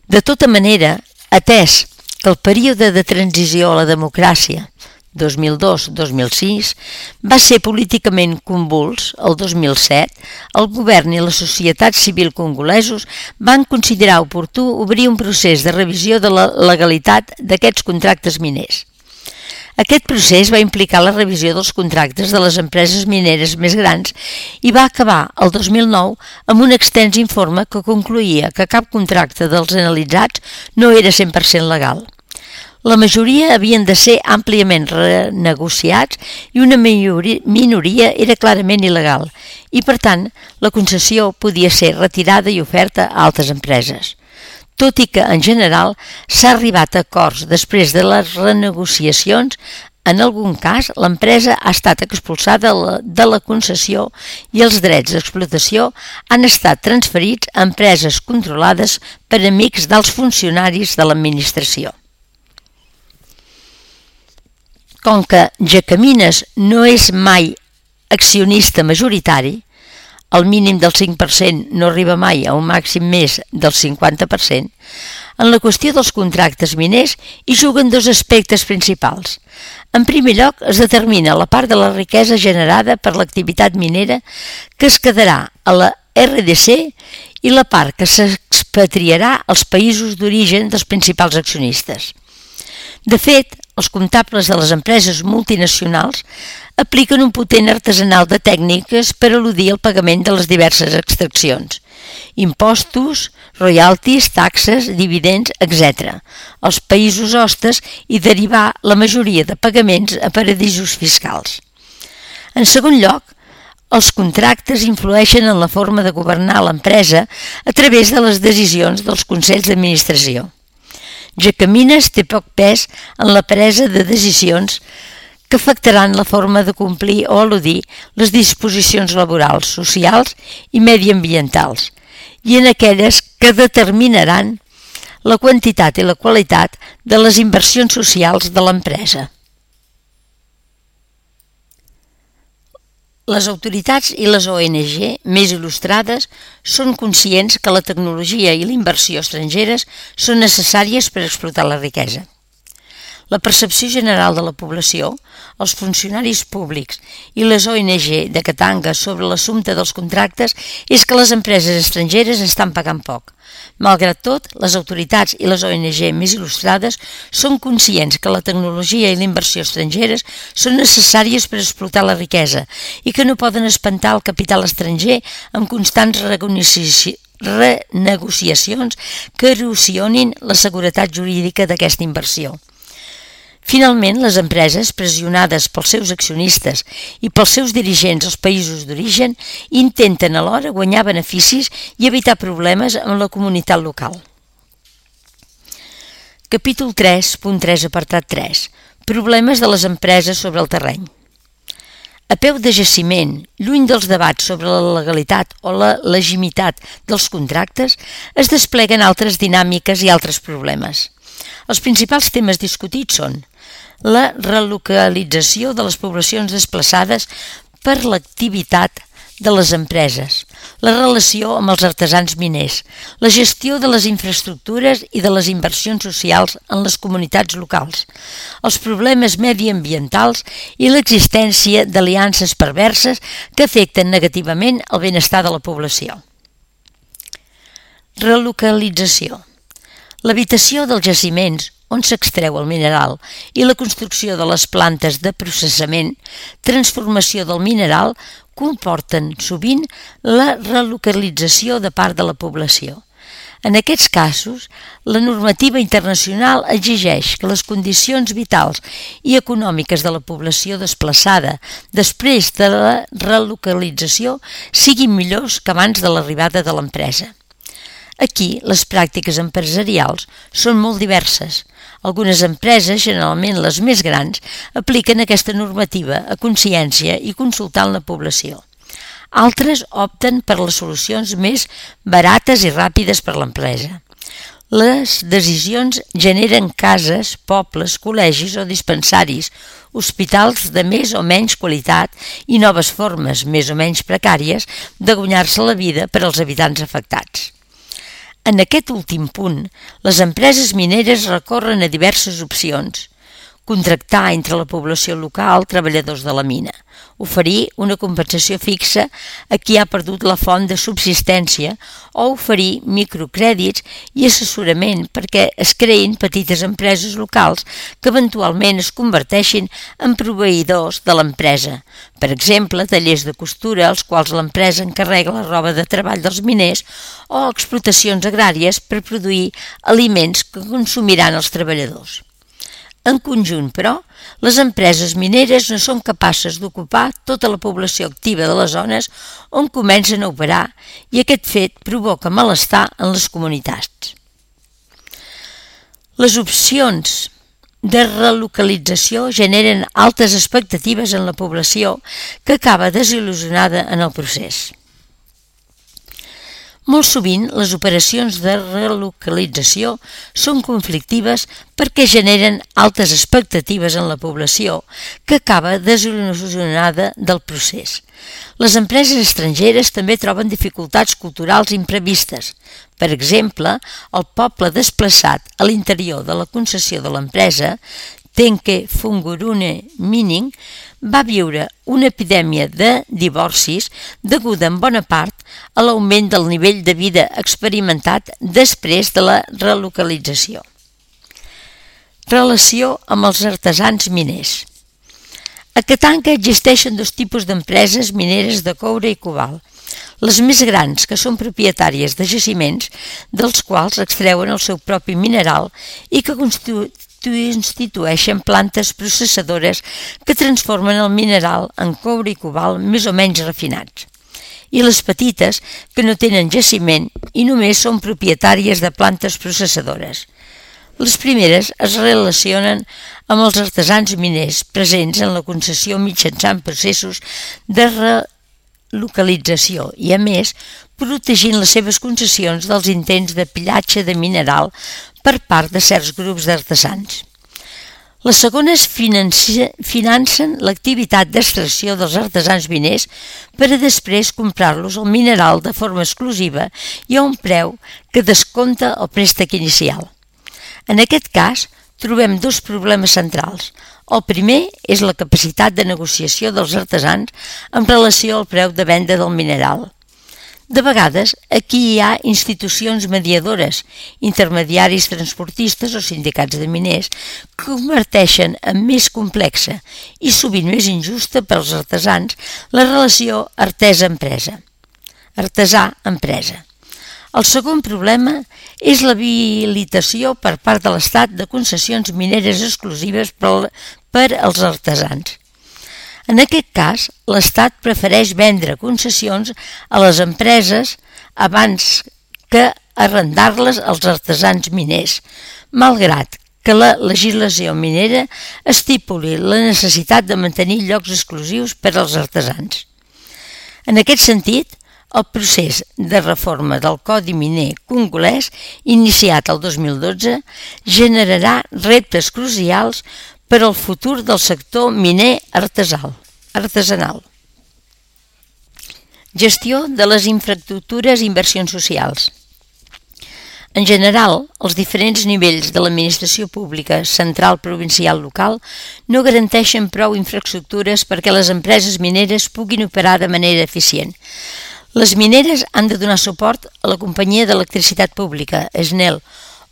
De tota manera, atès que el període de transició a la democràcia dos mil dos a dos mil sis va ser políticament convuls, el dos mil set, el govern i la societat civil congolesos van considerar oportú obrir un procés de revisió de la legalitat d'aquests contractes miners. Aquest procés va implicar la revisió dels contractes de les empreses mineres més grans i va acabar el dos mil nou amb un extens informe que concloïa que cap contracte dels analitzats no era cent per cent legal. La majoria havien de ser àmpliament renegociats i una minoria era clarament il·legal i, per tant, la concessió podia ser retirada i oferta a altres empreses. Tot i que, en general, s'ha arribat a acords després de les renegociacions, en algun cas l'empresa ha estat expulsada de la concessió i els drets d'explotació han estat transferits a empreses controlades per amics dels funcionaris de l'administració. Com que Gencamines no és mai accionista majoritari, el mínim del cinc per cent no arriba mai a un màxim més del cinquanta per cent, en la qüestió dels contractes miners hi juguen dos aspectes principals. En primer lloc, es determina la part de la riquesa generada per l'activitat minera que es quedarà a la R D C i la part que s'expatriarà als països d'origen dels principals accionistes. De fet, els comptables de les empreses multinacionals apliquen un potent artesanal de tècniques per eludir el pagament de les diverses extraccions, impostos, royalties, taxes, dividends, etcètera, als països hostes i derivar la majoria de pagaments a paradisos fiscals. En segon lloc, Els contractes influeixen en la forma de governar l'empresa a través de les decisions dels consells d'administració. Jacamines té poc pes en la presa de decisions que afectaran la forma de complir o eludir les disposicions laborals, socials i mediambientals, i en aquelles que determinaran la quantitat i la qualitat de les inversions socials de l'empresa. Les autoritats i les O N G més il·lustrades són conscients que la tecnologia i la inversió estrangeres són necessàries per explotar la riquesa. La percepció general de la població, els funcionaris públics i les O N G de Katanga sobre l'assumpte dels contractes és que les empreses estrangeres estan pagant poc. Malgrat tot, les autoritats i les O N G més il·lustrades són conscients que la tecnologia i la inversió estrangeres són necessàries per explotar la riquesa i que no poden espantar el capital estranger amb constants renegociacions que erosionin la seguretat jurídica d'aquesta inversió. Finalment, les empreses, pressionades pels seus accionistes i pels seus dirigents als països d'origen, intenten alhora guanyar beneficis i evitar problemes amb la comunitat local. Capítol tres punt tres, apartat tres. Problemes de les empreses sobre el terreny. A peu de jaciment, lluny dels debats sobre la legalitat o la legitimitat dels contractes, es despleguen altres dinàmiques i altres problemes. Els principals temes discutits són la relocalització de les poblacions desplaçades per l'activitat de les empreses, la relació amb els artesans miners, la gestió de les infraestructures i de les inversions socials en les comunitats locals, els problemes mediambientals i l'existència d'aliances perverses que afecten negativament el benestar de la població. Relocalització. L'habitació dels jaciments on s'extreu el mineral i la construcció de les plantes de processament, transformació del mineral, comporten sovint la relocalització de part de la població. En aquests casos, la normativa internacional exigeix que les condicions vitals i econòmiques de la població desplaçada després de la relocalització siguin millors que abans de l'arribada de l'empresa. Aquí, les pràctiques empresarials són molt diverses. Algunes empreses, generalment les més grans, apliquen aquesta normativa a consciència i consultant la població. Altres opten per les solucions més barates i ràpides per l'empresa. Les decisions generen cases, pobles, col·legis o dispensaris, hospitals de més o menys qualitat i noves formes, més o menys precàries, de guanyar-se la vida per als habitants afectats. En aquest últim punt, les empreses mineres recorren a diverses opcions. Contractar entre la població local treballadors de la mina, oferir una compensació fixa a qui ha perdut la font de subsistència o oferir microcrèdits i assessorament perquè es creïn petites empreses locals que eventualment es converteixin en proveïdors de l'empresa. Per exemple, tallers de costura als quals l'empresa encarrega la roba de treball dels miners o explotacions agràries per produir aliments que consumiran els treballadors. En conjunt, però, les empreses mineres no són capaces d'ocupar tota la població activa de les zones on comencen a operar i aquest fet provoca malestar en les comunitats. Les opcions de relocalització generen altes expectatives en la població que acaba desil·lusionada en el procés. Molt sovint, les operacions de relocalització són conflictives perquè generen altes expectatives en la població que acaba desil·lusionada del procés. Les empreses estrangeres també troben dificultats culturals imprevistes. Per exemple, el poble desplaçat a l'interior de la concessió de l'empresa, Tenke Fungurune Mining, va viure una epidèmia de divorcis deguda en bona part a l'augment del nivell de vida experimentat després de la relocalització. Relació amb els artesans miners. A Katanga existeixen dos tipus d'empreses mineres de coure i cobalt. Les més grans, que són propietàries de jaciments, dels quals extreuen el seu propi mineral i que constitueixen constitueixen plantes processadores que transformen el mineral en coure i cobalt més o menys refinats, i les petites, que no tenen jaciment i només són propietàries de plantes processadores. Les primeres es relacionen amb els artesans miners presents en la concessió mitjançant processos de relocalització i, a més, protegint les seves concessions dels intents de pillatge de mineral per part de certs grups d'artesans. Les segones financen l'activitat d'extracció dels artesans miners per a després comprar-los el mineral de forma exclusiva i a un preu que descompta el préstec inicial. En aquest cas, trobem dos problemes centrals. El primer és la capacitat de negociació dels artesans en relació al preu de venda del mineral. De vegades, aquí hi ha institucions mediadores, intermediaris transportistes o sindicats de miners, que converteixen en més complexa i sovint més injusta per als artesans la relació artesa-empresa. Artesà-empresa. El segon problema és l'habilitació per part de l'Estat de concessions mineres exclusives per als artesans. En aquest cas, l'Estat prefereix vendre concessions a les empreses abans que arrendar-les als artesans miners, malgrat que la legislació minera estipuli la necessitat de mantenir llocs exclusius per als artesans. En aquest sentit, el procés de reforma del Codi Miner congolès, iniciat el dos mil dotze, generarà reptes crucials per al futur del sector miner artesanal. Gestió de les infraestructures i inversions socials. En general, els diferents nivells de l'administració pública, central, provincial, local, no garanteixen prou infraestructures perquè les empreses mineres puguin operar de manera eficient. Les mineres han de donar suport a la companyia d'electricitat pública, S N E L,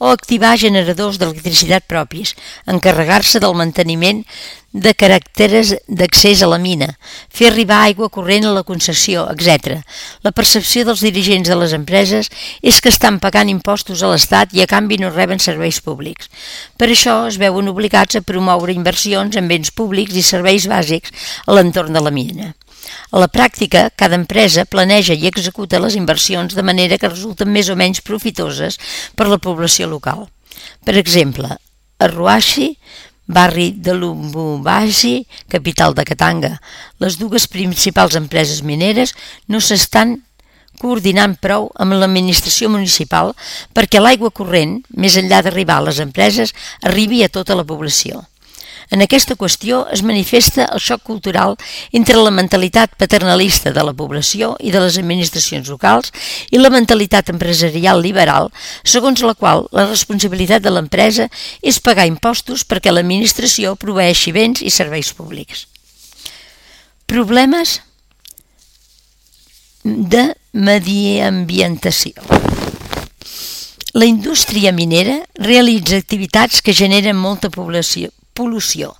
o activar generadors d'electricitat propis, encarregar-se del manteniment de carreteres d'accés a la mina, fer arribar aigua corrent a la concessió, etcètera. La percepció dels dirigents de les empreses és que estan pagant impostos a l'Estat i a canvi no reben serveis públics. Per això es veuen obligats a promoure inversions en béns públics i serveis bàsics a l'entorn de la mina. A la pràctica, cada empresa planeja i executa les inversions de manera que resulten més o menys profitoses per la població local. Per exemple, a Ruashi, barri de Lubumbashi, capital de Katanga, les dues principals empreses mineres no s'estan coordinant prou amb l'administració municipal perquè l'aigua corrent, més enllà d'arribar a les empreses, arribi a tota la població. En aquesta qüestió es manifesta el xoc cultural entre la mentalitat paternalista de la població i de les administracions locals i la mentalitat empresarial liberal, segons la qual la responsabilitat de l'empresa és pagar impostos perquè l'administració proveeixi béns i serveis públics. Problemes de mediambientació. La indústria minera realitza activitats que generen molta població pol·lució.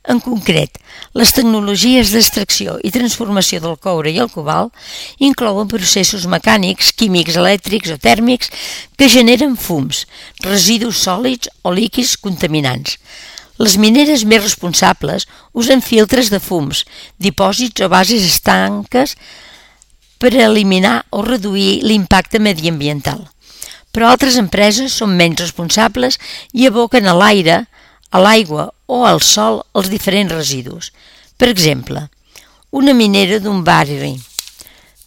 En concret, les tecnologies d'extracció i transformació del coure i el cobalt inclouen processos mecànics, químics, elèctrics o tèrmics que generen fums, residus sòlids o líquids contaminants. Les mineres més responsables usen filtres de fums, dipòsits o bases estanques per eliminar o reduir l'impacte mediambiental. Però altres empreses són menys responsables i aboquen a l'aire, a l'aigua o al sol els diferents residus. Per exemple, una minera d'un barri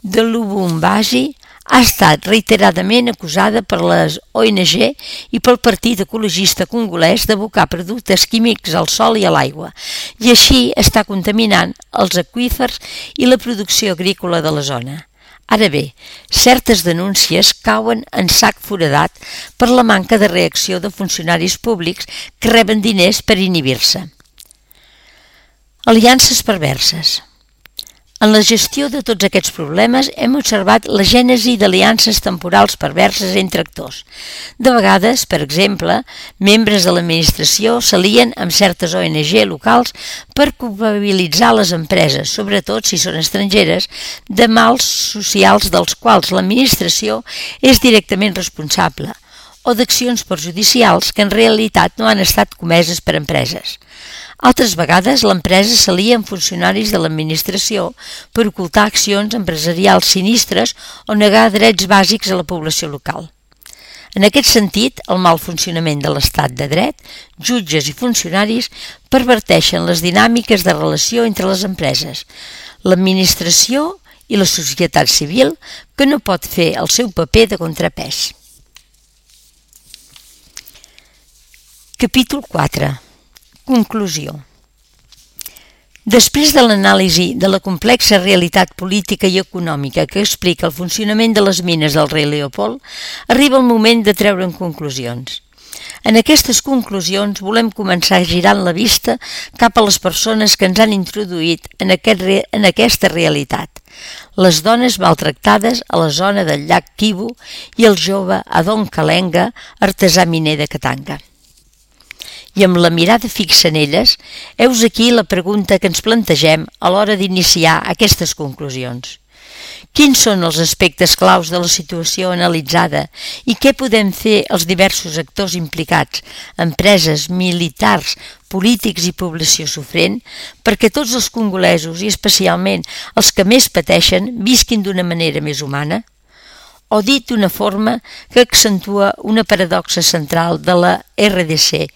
de Lubumbashi ha estat reiteradament acusada per les O N G i pel Partit Ecologista Congolès d'abocar productes químics al sol i a l'aigua, i així està contaminant els aqüífers i la producció agrícola de la zona. Ara bé, certes denúncies cauen en sac foradat per la manca de reacció de funcionaris públics que reben diners per inhibir-se. Aliances perverses. En la gestió de tots aquests problemes hem observat la gènesi d'aliances temporals perverses entre actors. De vegades, per exemple, membres de l'administració s'alien amb certes O N G locals per culpabilitzar les empreses, sobretot si són estrangeres, de mals socials dels quals l'administració és directament responsable, o d'accions perjudicials que en realitat no han estat comeses per empreses. Altres vegades l'empresa s'alia amb funcionaris de l'administració per ocultar accions empresarials sinistres o negar drets bàsics a la població local. En aquest sentit, el mal funcionament de l'estat de dret, jutges i funcionaris perverteixen les dinàmiques de relació entre les empreses, l'administració i la societat civil, que no pot fer el seu paper de contrapès. Capítol quatre. Conclusió. Després de l'anàlisi de la complexa realitat política i econòmica que explica el funcionament de les mines del rei Leopold, arriba el moment de treure'n conclusions. En aquestes conclusions volem començar girant la vista cap a les persones que ens han introduït en, aquest re... en aquesta realitat. Les dones maltractades a la zona del llac Kivu i el jove Adon Kalenga, artesà miner de Katanga. I amb la mirada fixa en elles, heus aquí la pregunta que ens plantegem a l'hora d'iniciar aquestes conclusions. Quins són els aspectes claus de la situació analitzada i què podem fer els diversos actors implicats, empreses, militars, polítics i població sofrent, perquè tots els congolesos i especialment els que més pateixen visquin d'una manera més humana? O dit d'una forma que accentua una paradoxa central de la R D C,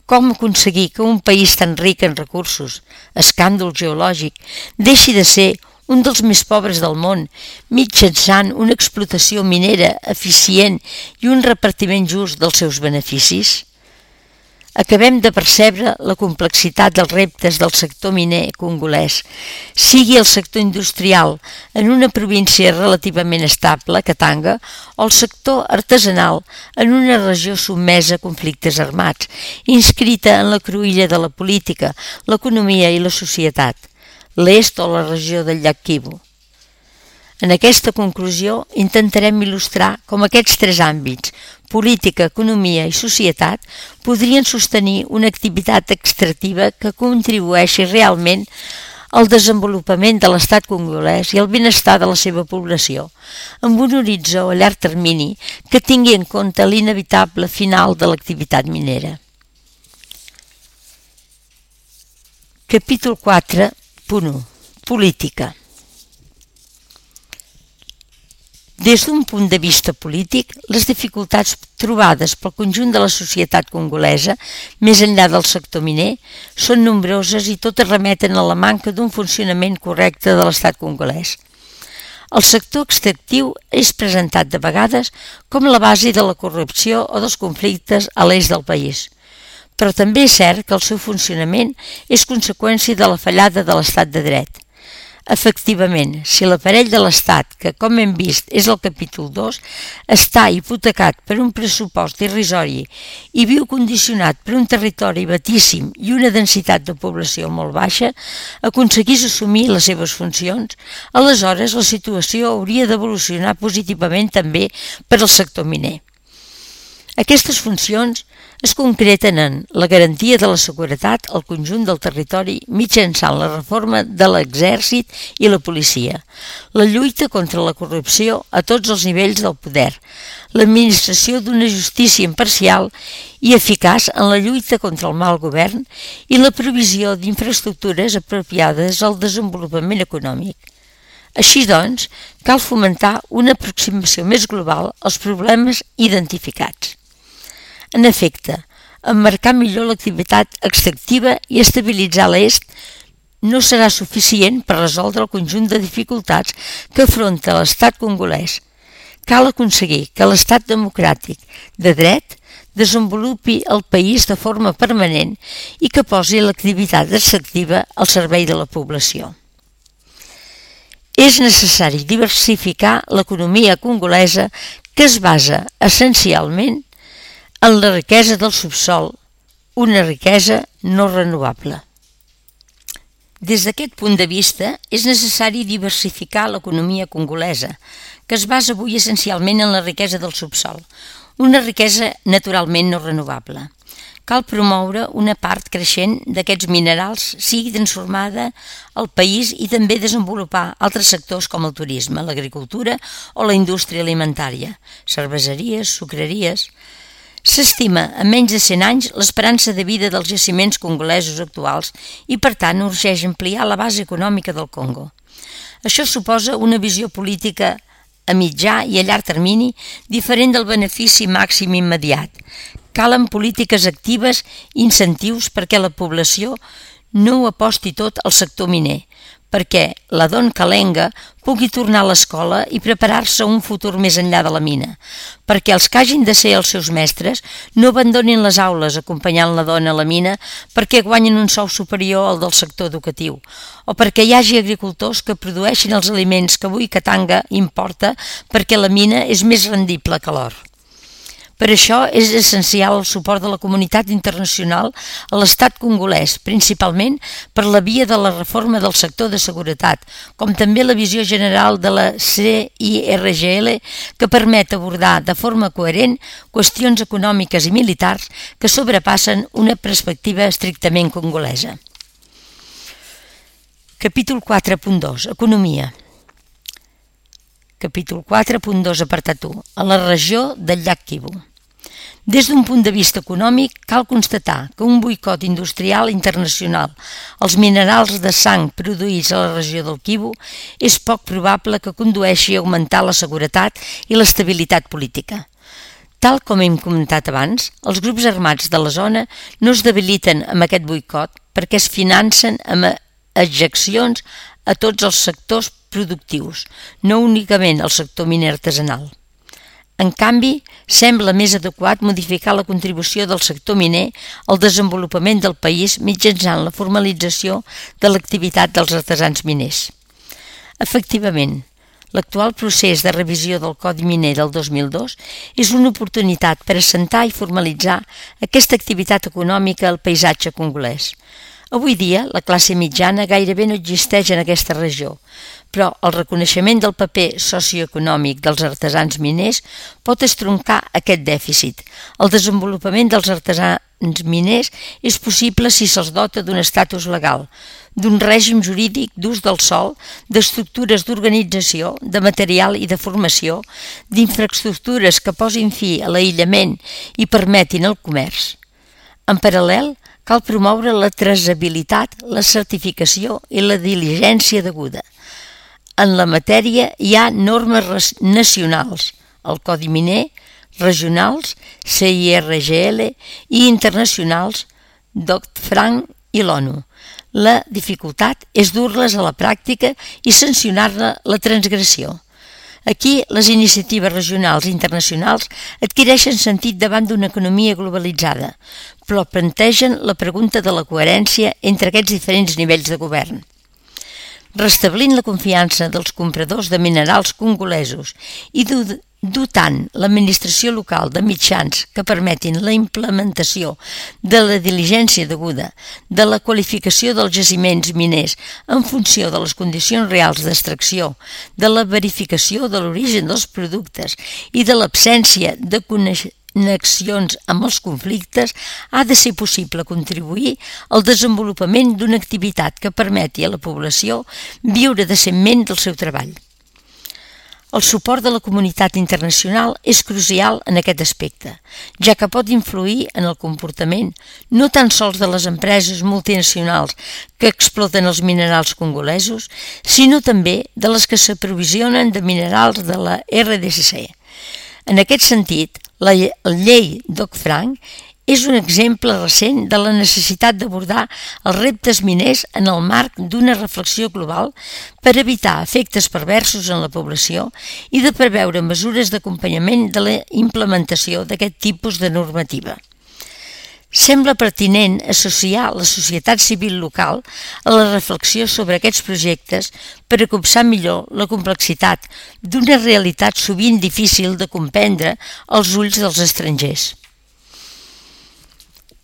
com aconseguir que un país tan ric en recursos, escàndol geològic, deixi de ser un dels més pobres del món, mitjançant una explotació minera eficient i un repartiment just dels seus beneficis? Acabem de percebre la complexitat dels reptes del sector miner congolès, sigui el sector industrial en una província relativament estable, Katanga, o el sector artesanal en una regió sotmesa a conflictes armats, inscrita en la cruïlla de la política, l'economia i la societat, l'est o la regió del llac Kivu. En aquesta conclusió intentarem il·lustrar com aquests tres àmbits, política, economia i societat, podrien sostenir una activitat extractiva que contribueixi realment al desenvolupament de l'estat congolès i al benestar de la seva població, amb un horitzó a llarg termini que tingui en compte l'inevitable final de l'activitat minera. Capítol quatre punt u. Política. Des d'un punt de vista polític, les dificultats trobades pel conjunt de la societat congolesa, més enllà del sector miner, són nombroses i totes remeten a la manca d'un funcionament correcte de l'estat congolès. El sector extractiu és presentat de vegades com la base de la corrupció o dels conflictes a l'est del país, però també és cert que el seu funcionament és conseqüència de la fallada de l'estat de dret. Efectivament, si l'aparell de l'Estat, que com hem vist és el capítol dos, està hipotecat per un pressupost irrisori i viu condicionat per un territori batíssim i una densitat de població molt baixa, aconseguís assumir les seves funcions, aleshores la situació hauria d'evolucionar positivament també per al sector miner. Aquestes funcions es concreten en la garantia de la seguretat al conjunt del territori mitjançant la reforma de l'exèrcit i la policia, la lluita contra la corrupció a tots els nivells del poder, l'administració d'una justícia imparcial i eficaç en la lluita contra el mal govern i la provisió d'infraestructures apropiades al desenvolupament econòmic. Així doncs, cal fomentar una aproximació més global als problemes identificats. En efecte, emmarcar millor l'activitat extractiva i estabilitzar l'est no serà suficient per resoldre el conjunt de dificultats que afronta l'estat congolès. Cal aconseguir que l'estat democràtic de dret desenvolupi el país de forma permanent i que posi l'activitat extractiva al servei de la població. És necessari diversificar l'economia congolesa que es basa essencialment en la riquesa del subsol, una riquesa no renovable. Des d'aquest punt de vista, és necessari diversificar l'economia congolesa, que es basa avui essencialment en la riquesa del subsol, una riquesa naturalment no renovable. cal promoure una part creixent d'aquests minerals sigui transformada al país i també desenvolupar altres sectors com el turisme, l'agricultura o la indústria alimentària, cerveseries, sucreries. S'estima a menys de cent anys l'esperança de vida dels jaciments congolesos actuals i, per tant, urgeix ampliar la base econòmica del Congo. Això suposa una visió política a mitjà i a llarg termini diferent del benefici màxim immediat. Calen polítiques actives i incentius perquè la població no ho aposti tot al sector miner, perquè la Don Kalenga pugui tornar a l'escola i preparar-se a un futur més enllà de la mina, perquè els que hagin de ser els seus mestres no abandonin les aules acompanyant la dona a la mina perquè guanyen un sou superior al del sector educatiu, o perquè hi hagi agricultors que produeixin els aliments que avui Katanga importa perquè la mina és més rendible que l'or. Per això és essencial el suport de la comunitat internacional a l'estat congolès, principalment per la via de la reforma del sector de seguretat, com també la visió general de la C I R G L que permet abordar de forma coherent qüestions econòmiques i militars que sobrepassen una perspectiva estrictament congolesa. Capítol quatre punt dos. Economia. Capítol quatre punt dos, apartat u. A la regió del llac Kivu. Des d'un punt de vista econòmic, cal constatar que un boicot industrial internacional als minerals de sang produïts a la regió del Kivu és poc probable que condueixi a augmentar la seguretat i l'estabilitat política. Tal com hem comentat abans, els grups armats de la zona no es debiliten amb aquest boicot perquè es financen amb ejeccions a tots els sectors productius, no únicament al sector miner artesanal. En canvi, sembla més adequat modificar la contribució del sector miner al desenvolupament del país mitjançant la formalització de l'activitat dels artesans miners. Efectivament, l'actual procés de revisió del Codi Miner del dos mil dos és una oportunitat per assentar i formalitzar aquesta activitat econòmica al paisatge congolès. Avui dia, la classe mitjana gairebé no existeix en aquesta regió, però el reconeixement del paper socioeconòmic dels artesans miners pot estroncar aquest dèficit. El desenvolupament dels artesans miners és possible si se'ls dota d'un estatus legal, d'un règim jurídic d'ús del sòl, d'estructures d'organització, de material i de formació, d'infraestructures que posin fi a l'aïllament i permetin el comerç. En paral·lel, cal promoure la traçabilitat, la certificació i la diligència deguda. En la matèria hi ha normes nacionals, el Codi Miner, regionals, C I R G L i internacionals, Dodd-Frank i l'ONU. La dificultat és dur-les a la pràctica i sancionar-ne la transgressió. Aquí, les iniciatives regionals i internacionals adquireixen sentit davant d'una economia globalitzada, però plantegen la pregunta de la coherència entre aquests diferents nivells de govern. Restablint la confiança dels compradors de minerals congolesos i dotant l'administració local de mitjans que permetin la implementació de la diligència deguda, de la qualificació dels jaciments miners en funció de les condicions reals d'extracció, de la verificació de l'origen dels productes i de l'absència de connexions amb els conflictes, ha de ser possible contribuir al desenvolupament d'una activitat que permeti a la població viure decentment del seu treball. El suport de la comunitat internacional és crucial en aquest aspecte, ja que pot influir en el comportament no tan sols de les empreses multinacionals que exploten els minerals congolesos, sinó també de les que s'aprovisionen de minerals de la R D C C. En aquest sentit, la llei Dodd-Frank és un exemple recent de la necessitat d'abordar els reptes miners en el marc d'una reflexió global per evitar efectes perversos en la població i de preveure mesures d'acompanyament de la implementació d'aquest tipus de normativa. Sembla pertinent associar la societat civil local a la reflexió sobre aquests projectes per a copsar millor la complexitat d'una realitat sovint difícil de comprendre als ulls dels estrangers.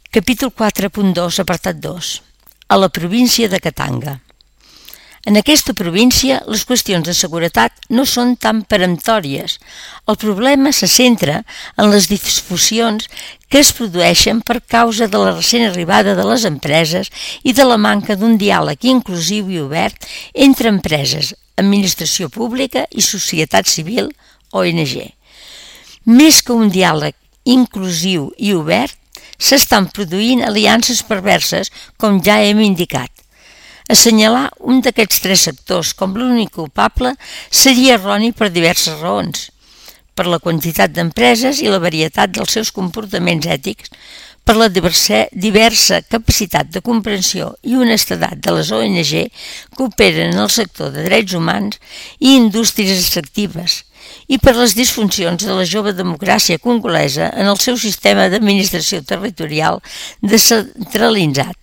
Capítol quatre punt dos, apartat dos. A la província de Katanga. En aquesta província, les qüestions de seguretat no són tan peremptòries. El problema se centra en les disfuncions que es produeixen per causa de la recent arribada de les empreses i de la manca d'un diàleg inclusiu i obert entre empreses, administració pública i societat civil, O N G. Més que un diàleg inclusiu i obert, s'estan produint aliances perverses, com ja hem indicat. Assenyalar un d'aquests tres sectors com l'únic culpable seria erroni per diverses raons. Per la quantitat d'empreses i la varietat dels seus comportaments ètics, per la diversa, diversa capacitat de comprensió i honestedat de les O N G que operen en el sector de drets humans i indústries extractives, i per les disfuncions de la jove democràcia congolesa en el seu sistema d'administració territorial descentralitzat.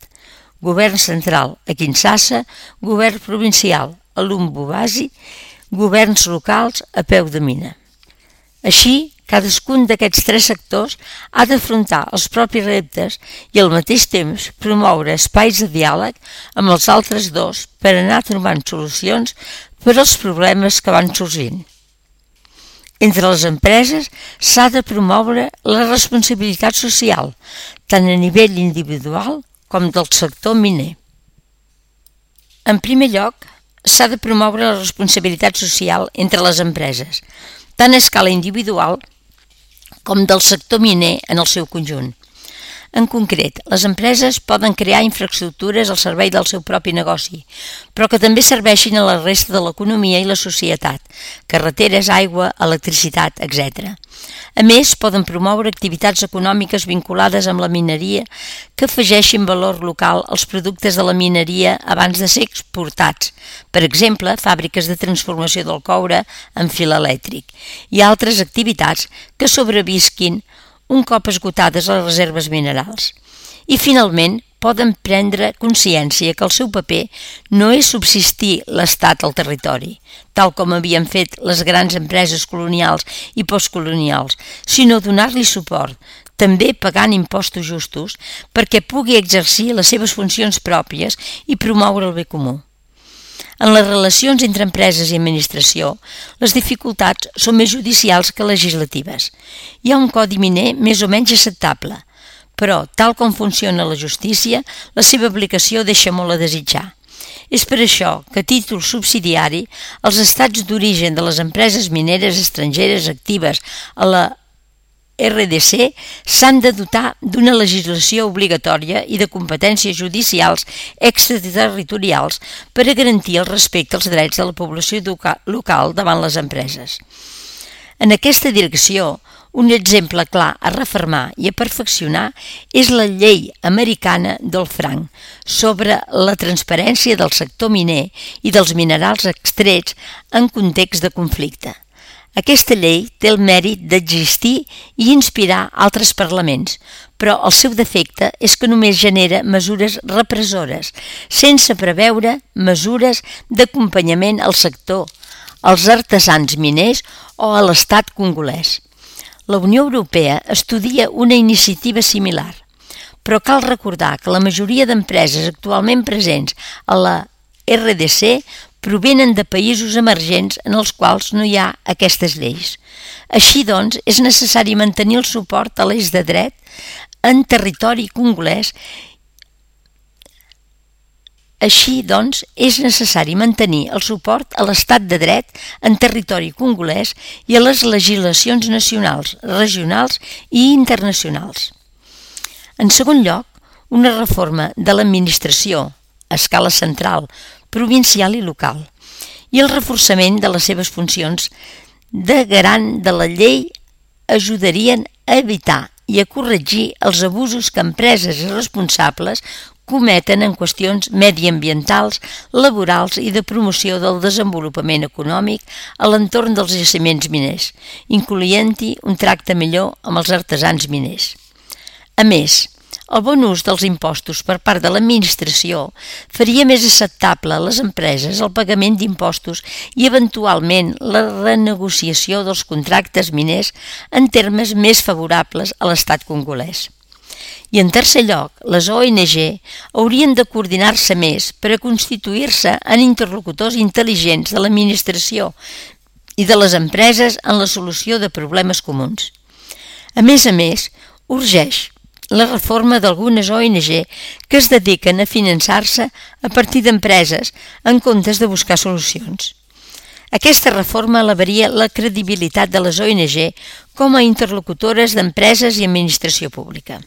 Govern central a Kinshasa, govern provincial a Lubumbashi, governs locals a peu de mina. Així, cadascun d'aquests tres sectors ha d'afrontar els propis reptes i al mateix temps promoure espais de diàleg amb els altres dos per anar trobant solucions per als problemes que van sorgint. Entre les empreses s'ha de promoure la responsabilitat social, tant a nivell individual com del sector miner. En primer lloc, s'ha de promoure la responsabilitat social entre les empreses, tant a escala individual com del sector miner en el seu conjunt. En concret, les empreses poden crear infraestructures al servei del seu propi negoci, però que també serveixin a la resta de l'economia i la societat, carreteres, aigua, electricitat, etcètera. A més, poden promoure activitats econòmiques vinculades amb la mineria que afegeixin valor local als productes de la mineria abans de ser exportats, per exemple, fàbriques de transformació del coure en fil elèctric, i altres activitats que sobrevisquin un cop esgotades les reserves minerals. I, finalment, poden prendre consciència que el seu paper no és subsistir l'estat al territori, tal com havien fet les grans empreses colonials i postcolonials, sinó donar-li suport, també pagant impostos justos, perquè pugui exercir les seves funcions pròpies i promoure el bé comú. En les relacions entre empreses i administració, les dificultats són més judicials que legislatives. Hi ha un codi miner més o menys acceptable, però, tal com funciona la justícia, la seva aplicació deixa molt a desitjar. És per això que, a títol subsidiari, els estats d'origen de les empreses mineres estrangeres actives a la R D C s'han de dotar d'una legislació obligatòria i de competències judicials extraterritorials per a garantir el respecte als drets de la població local davant les empreses. En aquesta direcció, un exemple clar a refermar i a perfeccionar és la llei americana Dodd-Frank sobre la transparència del sector miner i dels minerals extrets en context de conflicte. Aquesta llei té el mèrit d'existir i inspirar altres parlaments, però el seu defecte és que només genera mesures repressores, sense preveure mesures d'acompanyament al sector, als artesans miners o a l'estat congolès. La Unió Europea estudia una iniciativa similar, però cal recordar que la majoria d'empreses actualment presents a la R D C provenen de països emergents en els quals no hi ha aquestes lleis. Així doncs, és necessari mantenir el suport a l'eix de dret en territori congolès. Així doncs, és necessari mantenir el suport a l'estat de dret en territori congolès i a les legislacions nacionals, regionals i internacionals. En segon lloc, una reforma de l'administració a escala central, provincial i local, i el reforçament de les seves funcions de garant de la llei ajudarien a evitar i a corregir els abusos que empreses irresponsables cometen en qüestions mediambientals, laborals i de promoció del desenvolupament econòmic a l'entorn dels jaciments miners, incloent-hi un tracte millor amb els artesans miners. A més, el bon ús dels impostos per part de l'administració faria més acceptable a les empreses el pagament d'impostos i eventualment la renegociació dels contractes miners en termes més favorables a l'estat congolès. I en tercer lloc, les O N G haurien de coordinar-se més per a constituir-se en interlocutors intel·ligents de l'administració i de les empreses en la solució de problemes comuns. A més a més, urgeix la reforma d'algunes O N G que es dediquen a finançar-se a partir d'empreses en comptes de buscar solucions. Aquesta reforma elevaria la credibilitat de les O N G com a interlocutores d'empreses i administració pública.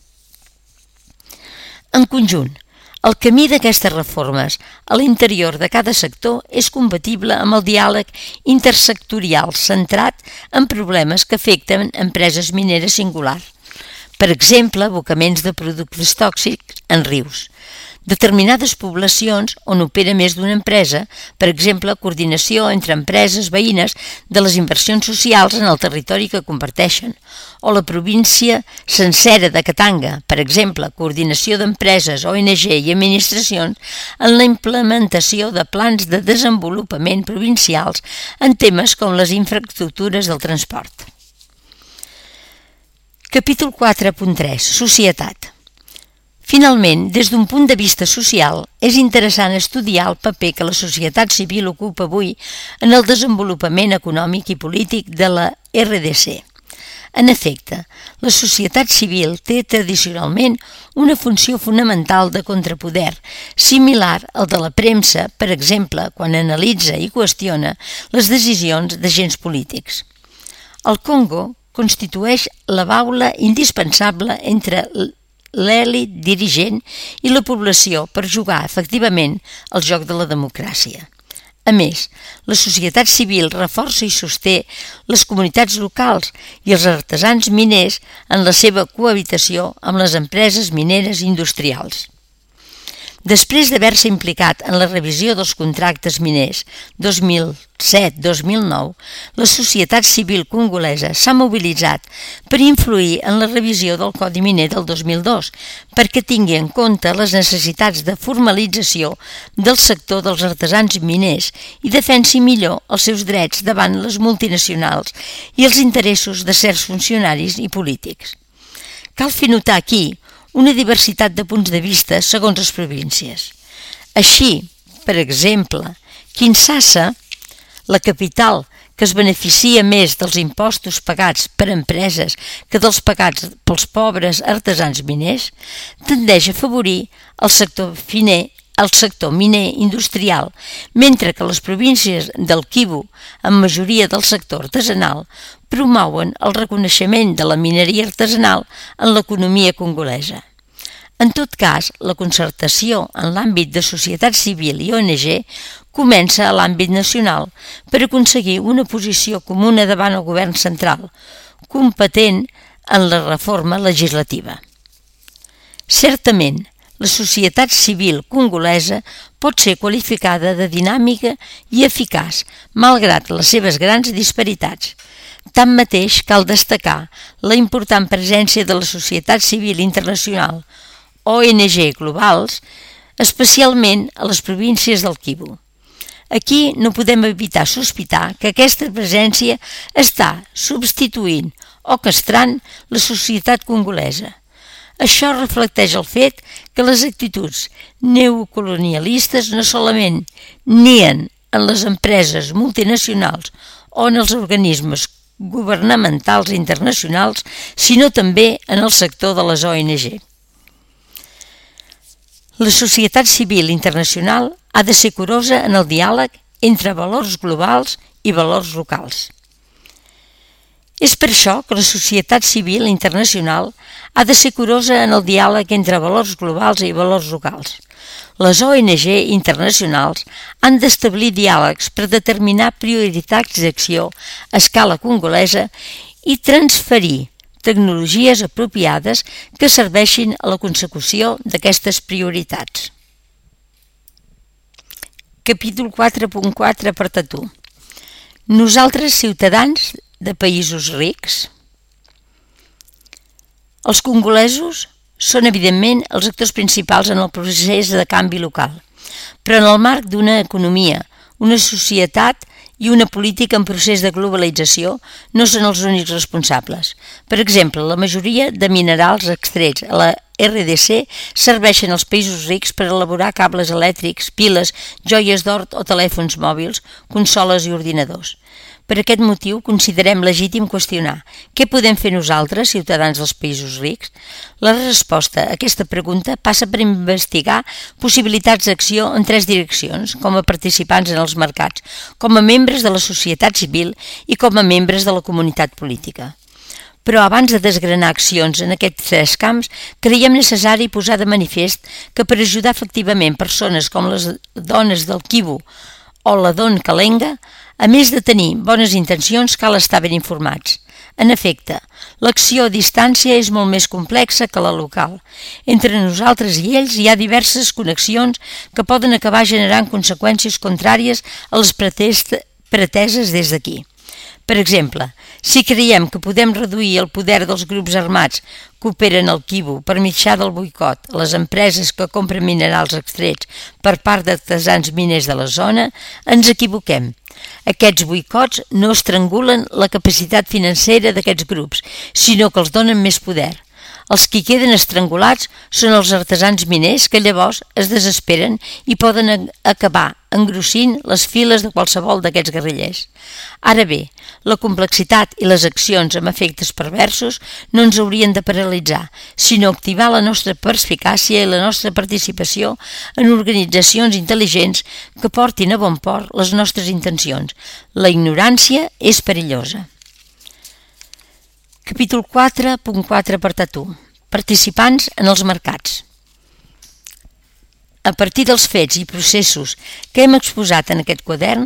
En conjunt, el camí d'aquestes reformes a l'interior de cada sector és compatible amb el diàleg intersectorial centrat en problemes que afecten empreses mineres singulars. Per exemple, abocaments de productes tòxics en rius. Determinades poblacions on opera més d'una empresa, per exemple, coordinació entre empreses veïnes de les inversions socials en el territori que comparteixen, o la província sencera de Katanga, per exemple, coordinació d'empreses, O N G i administracions en la implementació de plans de desenvolupament provincials en temes com les infraestructures del transport. Capítol quatre punt tres. Societat. Finalment, des d'un punt de vista social, és interessant estudiar el paper que la societat civil ocupa avui en el desenvolupament econòmic i polític de la R D C. En efecte, la societat civil té tradicionalment una funció fonamental de contrapoder, similar al de la premsa, per exemple, quan analitza i qüestiona les decisions d'agents polítics. El Congo constitueix la baula indispensable entre l'elit dirigent i la població per jugar efectivament al joc de la democràcia. A més, la societat civil reforça i sosté les comunitats locals i els artesans miners en la seva cohabitació amb les empreses mineres industrials. Després d'haver-se implicat en la revisió dels contractes miners dos mil set dos mil nou, la societat civil congolesa s'ha mobilitzat per influir en la revisió del Codi Miner del dos mil dos perquè tingui en compte les necessitats de formalització del sector dels artesans miners i defensi millor els seus drets davant les multinacionals i els interessos de certs funcionaris i polítics. Cal fer notar aquí una diversitat de punts de vista segons les províncies. Així, per exemple, Kinshasa, la capital que es beneficia més dels impostos pagats per empreses que dels pagats pels pobres artesans miners, tendeix a afavorir el sector finer el sector miner industrial, mentre que les províncies del Kivu, amb majoria del sector artesanal, promouen el reconeixement de la mineria artesanal en l'economia congolesa. En tot cas, la concertació en l'àmbit de societat civil i O N G comença a l'àmbit nacional per aconseguir una posició comuna davant el govern central, competent en la reforma legislativa. Certament, la societat civil congolesa pot ser qualificada de dinàmica i eficaç, malgrat les seves grans disparitats. Tanmateix, cal destacar la important presència de la societat civil internacional, O N G globals, especialment a les províncies del Kivu. Aquí no podem evitar sospitar que aquesta presència està substituint o castrant la societat congolesa. Això reflecteix el fet que les actituds neocolonialistes no solament nien en les empreses multinacionals o en els organismes governamentals internacionals, sinó també en el sector de les O N G. La societat civil internacional ha de ser curosa en el diàleg entre valors globals i valors locals. És per això que la societat civil internacional ha de ser curosa en el diàleg entre valors globals i valors locals. Les O N G internacionals han d'establir diàlegs per determinar prioritats d'acció a escala congolesa i transferir tecnologies apropiades que serveixin a la consecució d'aquestes prioritats. Capítol quatre punt quatre, apartat u. Nosaltres, ciutadans de països rics. Els congolesos són, evidentment, els actors principals en el procés de canvi local, però en el marc d'una economia, una societat i una política en procés de globalització no són els únics responsables. Per exemple, la majoria de minerals extrets a la R D C serveixen als països rics per elaborar cables elèctrics, piles, joies d'or o telèfons mòbils, consoles i ordinadors. Per aquest motiu, considerem legítim qüestionar què podem fer nosaltres, ciutadans dels països rics? La resposta a aquesta pregunta passa per investigar possibilitats d'acció en tres direccions, com a participants en els mercats, com a membres de la societat civil i com a membres de la comunitat política. Però abans de desgranar accions en aquests tres camps, creiem necessari posar de manifest que per ajudar efectivament persones com les dones del Kivu o la Don Kalenga, a més de tenir bones intencions, cal estar ben informats. En efecte, l'acció a distància és molt més complexa que la local. Entre nosaltres i ells hi ha diverses connexions que poden acabar generant conseqüències contràries a les preteses des d'aquí. Per exemple, si creiem que podem reduir el poder dels grups armats que operen al Kivu per mitjà del boicot a les empreses que compren minerals extrets per part d'artesans miners de la zona, ens equivoquem. Aquests boicots no estrangulen la capacitat financera d'aquests grups, sinó que els donen més poder. Els que queden estrangulats són els artesans miners que llavors es desesperen i poden acabar engrossint les files de qualsevol d'aquests guerrillers. Ara bé, la complexitat i les accions amb efectes perversos no ens haurien de paralitzar, sinó activar la nostra perspicàcia i la nostra participació en organitzacions intel·ligents que portin a bon port les nostres intencions. La ignorància és perillosa. Capítol quatre punt quatre, apartat u. Participants en els mercats. A partir dels fets i processos que hem exposat en aquest quadern,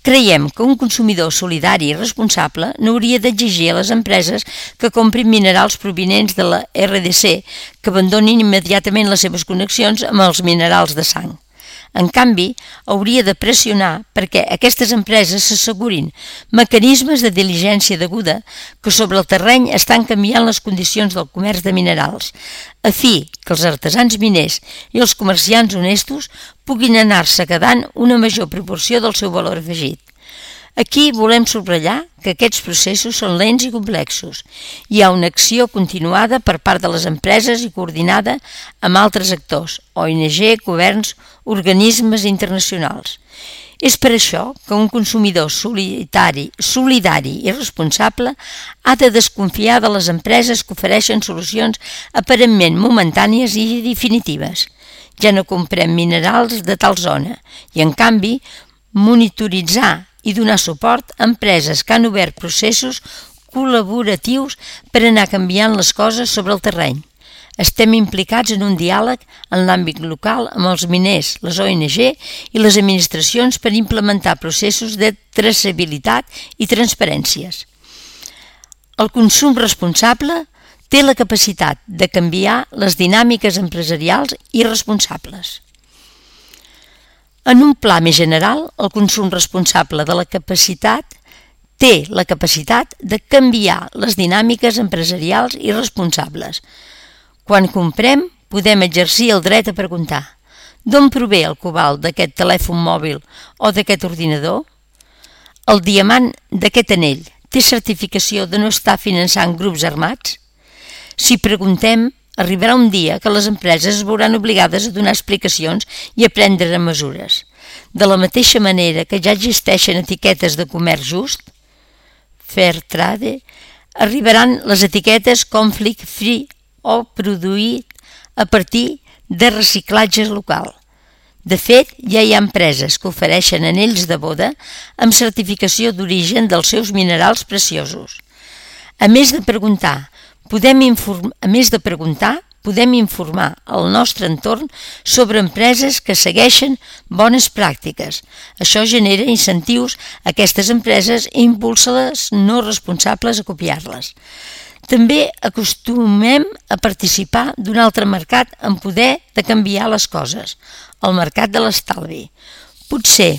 creiem que un consumidor solidari i responsable no hauria d'exigir a les empreses que comprin minerals provinents de la R D C que abandonin immediatament les seves connexions amb els minerals de sang. En canvi, hauria de pressionar perquè aquestes empreses s'assegurin mecanismes de diligència deguda que sobre el terreny estan canviant les condicions del comerç de minerals, a fi que els artesans miners i els comerciants honestos puguin anar-se quedant una major proporció del seu valor afegit. Aquí volem subratllar que aquests processos són lents i complexos. Hi ha una acció continuada per part de les empreses i coordinada amb altres actors, O N G, governs, organismes internacionals. És per això que un consumidor solidari, solidari i responsable ha de desconfiar de les empreses que ofereixen solucions aparentment momentànies i definitives. Ja no comprem minerals de tal zona i, en canvi, monitoritzar i donar suport a empreses que han obert processos col·laboratius per anar canviant les coses sobre el terreny. Estem implicats en un diàleg en l'àmbit local amb els miners, les O N G i les administracions per implementar processos de traçabilitat i transparències. El consum responsable té la capacitat de canviar les dinàmiques empresarials i responsables. En un pla més general, el consum responsable de la capacitat té la capacitat de canviar les dinàmiques empresarials i responsables. Quan comprem, podem exercir el dret a preguntar: d'on prové el cobalt d'aquest telèfon mòbil o d'aquest ordinador? El diamant d'aquest anell té certificació de no estar finançant grups armats? Si preguntem, arribarà un dia que les empreses es veuran obligades a donar explicacions i a prendre mesures. De la mateixa manera que ja existeixen etiquetes de comerç just, fair trade, arribaran les etiquetes conflict free o produït a partir de reciclatge local. De fet, ja hi ha empreses que ofereixen anells de boda amb certificació d'origen dels seus minerals preciosos. A més de preguntar, Podem inform... A més de preguntar, podem informar el nostre entorn sobre empreses que segueixen bones pràctiques. Això genera incentius a aquestes empreses i impulsa les no responsables a copiar-les. També acostumem a participar d'un altre mercat amb poder de canviar les coses, el mercat de l'estalvi. Potser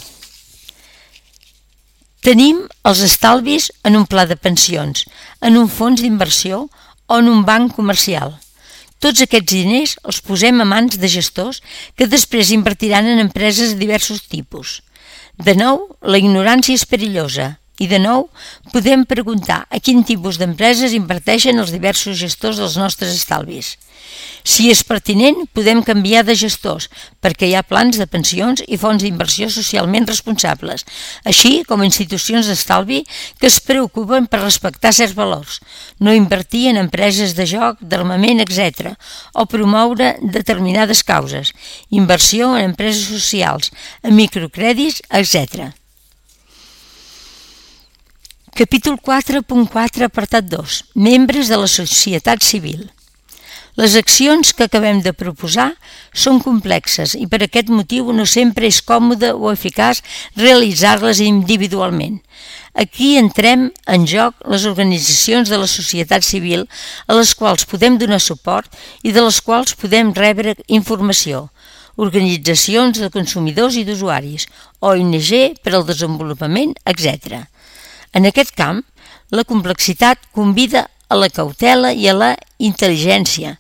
tenim els estalvis en un pla de pensions, en un fons d'inversió o en un banc comercial. Tots aquests diners els posem a mans de gestors que després invertiran en empreses de diversos tipus. De nou, la ignorància és perillosa. I de nou, podem preguntar a quin tipus d'empreses inverteixen els diversos gestors dels nostres estalvis. Si és pertinent, podem canviar de gestors, perquè hi ha plans de pensions i fons d'inversió socialment responsables, així com institucions d'estalvi que es preocupen per respectar certs valors, no invertir en empreses de joc, d'armament, etcètera, o promoure determinades causes, inversió en empreses socials, en microcrèdits, etcètera. Capítol quatre punt quatre, apartat dos. Membres de la societat civil. Les accions que acabem de proposar són complexes i per aquest motiu no sempre és còmode o eficaç realitzar-les individualment. Aquí entrem en joc les organitzacions de la societat civil a les quals podem donar suport i de les quals podem rebre informació. Organitzacions de consumidors i d'usuaris, O N G per al desenvolupament, etcètera. En aquest camp, la complexitat convida a la cautela i a la intel·ligència.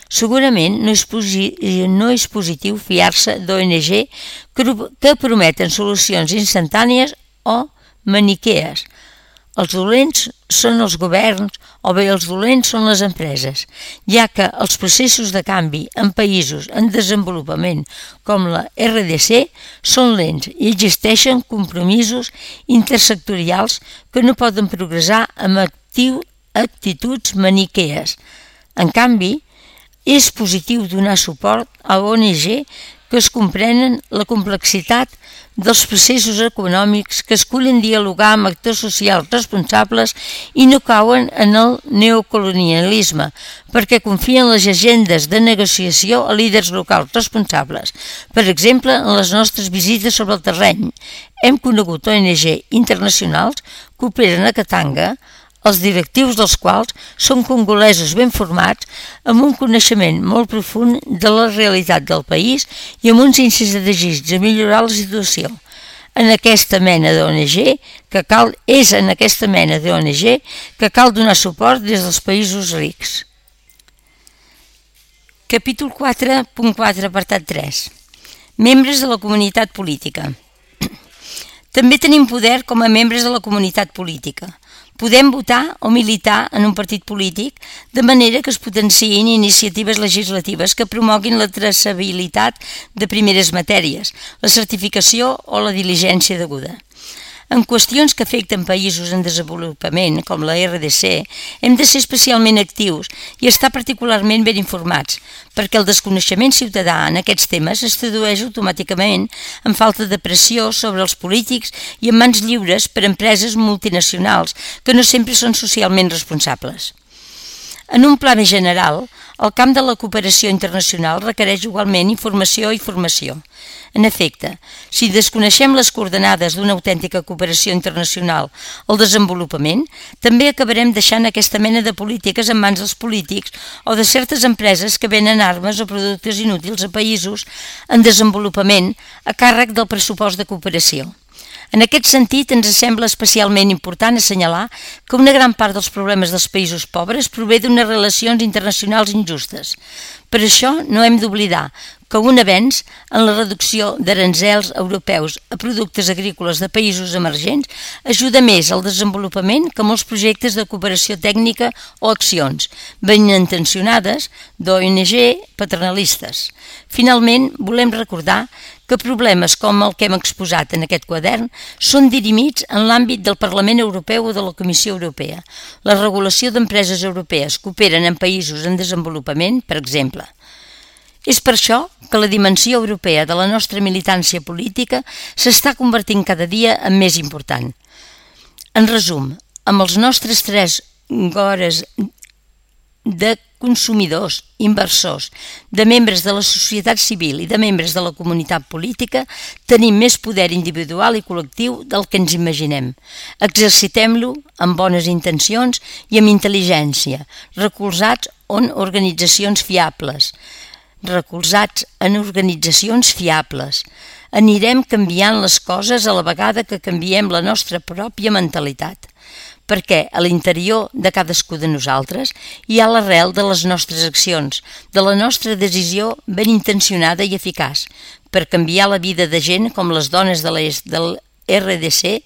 Segurament no és, posi- no és positiu fiar-se d'O N G que prometen solucions instantànies o maniquees. Els dolents són els governs o bé els dolents són les empreses, ja que els processos de canvi en països en desenvolupament com la R D C són lents i existeixen compromisos intersectorials que no poden progressar amb actiu, actituds maniquees. En canvi, és positiu donar suport a O N G que es comprenen la complexitat dels processos econòmics, que escullen dialogar amb actors socials responsables i no cauen en el neocolonialisme, perquè confien en les agendes de negociació a líders locals responsables. Per exemple, en les nostres visites sobre el terreny, hem conegut O N G internacionals que operen a Katanga, els directius dels quals són congolesos ben formats, amb un coneixement molt profund de la realitat del país i amb uns índices de desig de millorar la situació. En aquesta mena d'O N G que cal, és en aquesta mena d'O N G que cal donar suport des dels països rics. Capítol quatre punt quatre, apartat tres. Membres de la comunitat política. També tenim poder com a membres de la comunitat política. Podem votar o militar en un partit polític de manera que es potenciïn iniciatives legislatives que promoguin la traçabilitat de primeres matèries, la certificació o la diligència deguda. En qüestions que afecten països en desenvolupament, com la R D C, hem de ser especialment actius i estar particularment ben informats, perquè el desconeixement ciutadà en aquests temes es tradueix automàticament en falta de pressió sobre els polítics i en mans lliures per empreses multinacionals que no sempre són socialment responsables. En un pla més general, el camp de la cooperació internacional requereix igualment informació i formació. En efecte, si desconeixem les coordenades d'una autèntica cooperació internacional al desenvolupament, també acabarem deixant aquesta mena de polítiques en mans dels polítics o de certes empreses que venen armes o productes inútils a països en desenvolupament a càrrec del pressupost de cooperació. En aquest sentit, ens sembla especialment important assenyalar que una gran part dels problemes dels països pobres prové d'unes relacions internacionals injustes. Per això no hem d'oblidar que un avenç en la reducció d'aranzels europeus a productes agrícoles de països emergents ajuda més al desenvolupament que molts projectes de cooperació tècnica o accions, ben intencionades, d'O N G paternalistes. Finalment, volem recordar que problemes com el que hem exposat en aquest quadern són dirimits en l'àmbit del Parlament Europeu o de la Comissió Europea. La regulació d'empreses europees que operen en països en desenvolupament, per exemple. És per això que la dimensió europea de la nostra militància política s'està convertint cada dia en més important. En resum, amb els nostres tres gores de consumidors, inversors, de membres de la societat civil i de membres de la comunitat política, tenim més poder individual i col·lectiu del que ens imaginem. Exercitem-lo amb bones intencions i amb intel·ligència, recolzats en organitzacions fiables. recolzats en organitzacions fiables. Anirem canviant les coses a la vegada que canviem la nostra pròpia mentalitat. perquè a l'interior de cadascú de nosaltres hi ha l'arrel de les nostres accions, de la nostra decisió ben intencionada i eficaç, per canviar la vida de gent com les dones de l'est del R D C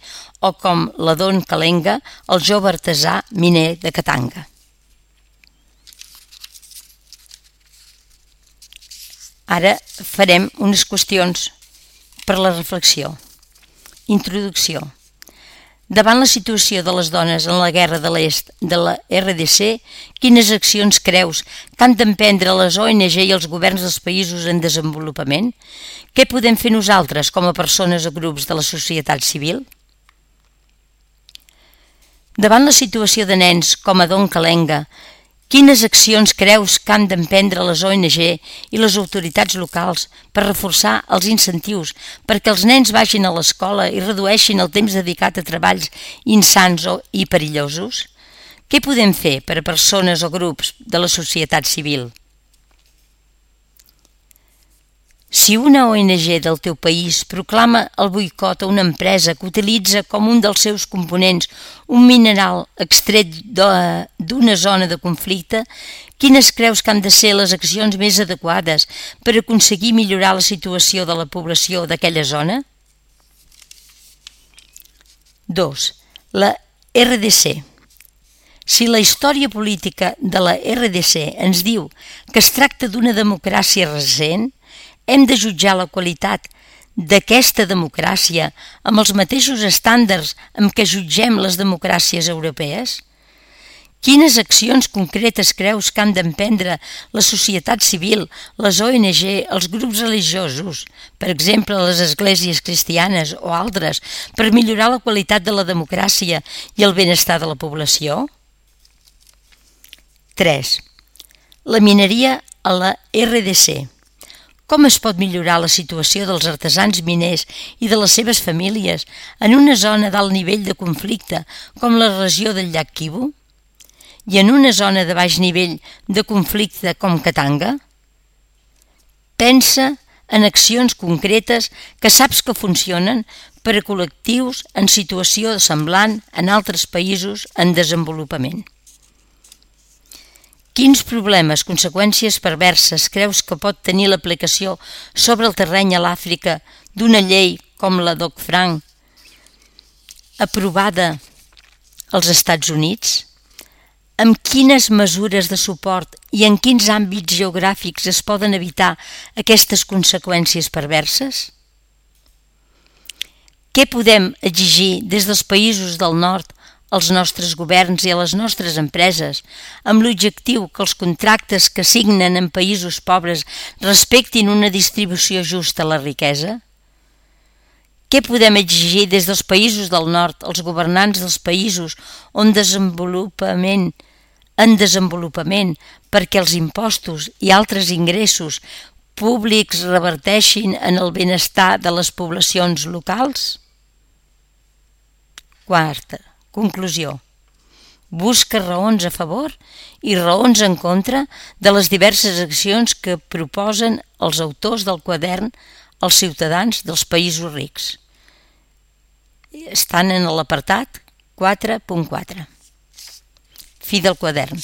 o com la Don Kalenga, el jove artesà miner de Katanga. Ara farem unes qüestions per la reflexió. Introducció. Davant la situació de les dones en la guerra de l'est de la R D C, quines accions creus que han d'emprendre les O N G i els governs dels països en desenvolupament? Què podem fer nosaltres com a persones o grups de la societat civil? Davant la situació de nens com a Don Kalenga, quines accions creus que han d'emprendre les O N G i les autoritats locals per reforçar els incentius perquè els nens vagin a l'escola i redueixin el temps dedicat a treballs insans i perillosos? Què podem fer per a persones o grups de la societat civil? Si una O N G del teu país proclama el boicot a una empresa que utilitza com un dels seus components un mineral extret d'una zona de conflicte, quines creus que han de ser les accions més adequades per aconseguir millorar la situació de la població d'aquella zona? dos. La R D C. Si la història política de la R D C ens diu que es tracta d'una democràcia recent, hem de jutjar la qualitat d'aquesta democràcia amb els mateixos estàndards amb què jutgem les democràcies europees? Quines accions concretes creus que han d'emprendre la societat civil, les O N G, els grups religiosos, per exemple les esglésies cristianes o altres, per millorar la qualitat de la democràcia i el benestar de la població? tres. La mineria a la R D C. Com es pot millorar la situació dels artesans miners i de les seves famílies en una zona d'alt nivell de conflicte com la regió del llac Kivu? I en una zona de baix nivell de conflicte com Katanga? Pensa en accions concretes que saps que funcionen per a col·lectius en situació semblant en altres països en desenvolupament. Quins problemes, conseqüències perverses creus que pot tenir l'aplicació sobre el terreny a l'Àfrica d'una llei com la Dodd-Frank aprovada als Estats Units? Amb quines mesures de suport i en quins àmbits geogràfics es poden evitar aquestes conseqüències perverses? Què podem exigir des dels països del nord als nostres governs i a les nostres empreses, amb l'objectiu que els contractes que signen en països pobres respectin una distribució justa de la riquesa? Què podem exigir des dels països del nord als governants dels països on desenvolupament, en desenvolupament perquè els impostos i altres ingressos públics reverteixin en el benestar de les poblacions locals? Quarta. Conclusió. Busca raons a favor i raons en contra de les diverses accions que proposen els autors del quadern als ciutadans dels països rics. Estan en l'apartat quatre punt quatre. Fi del quadern.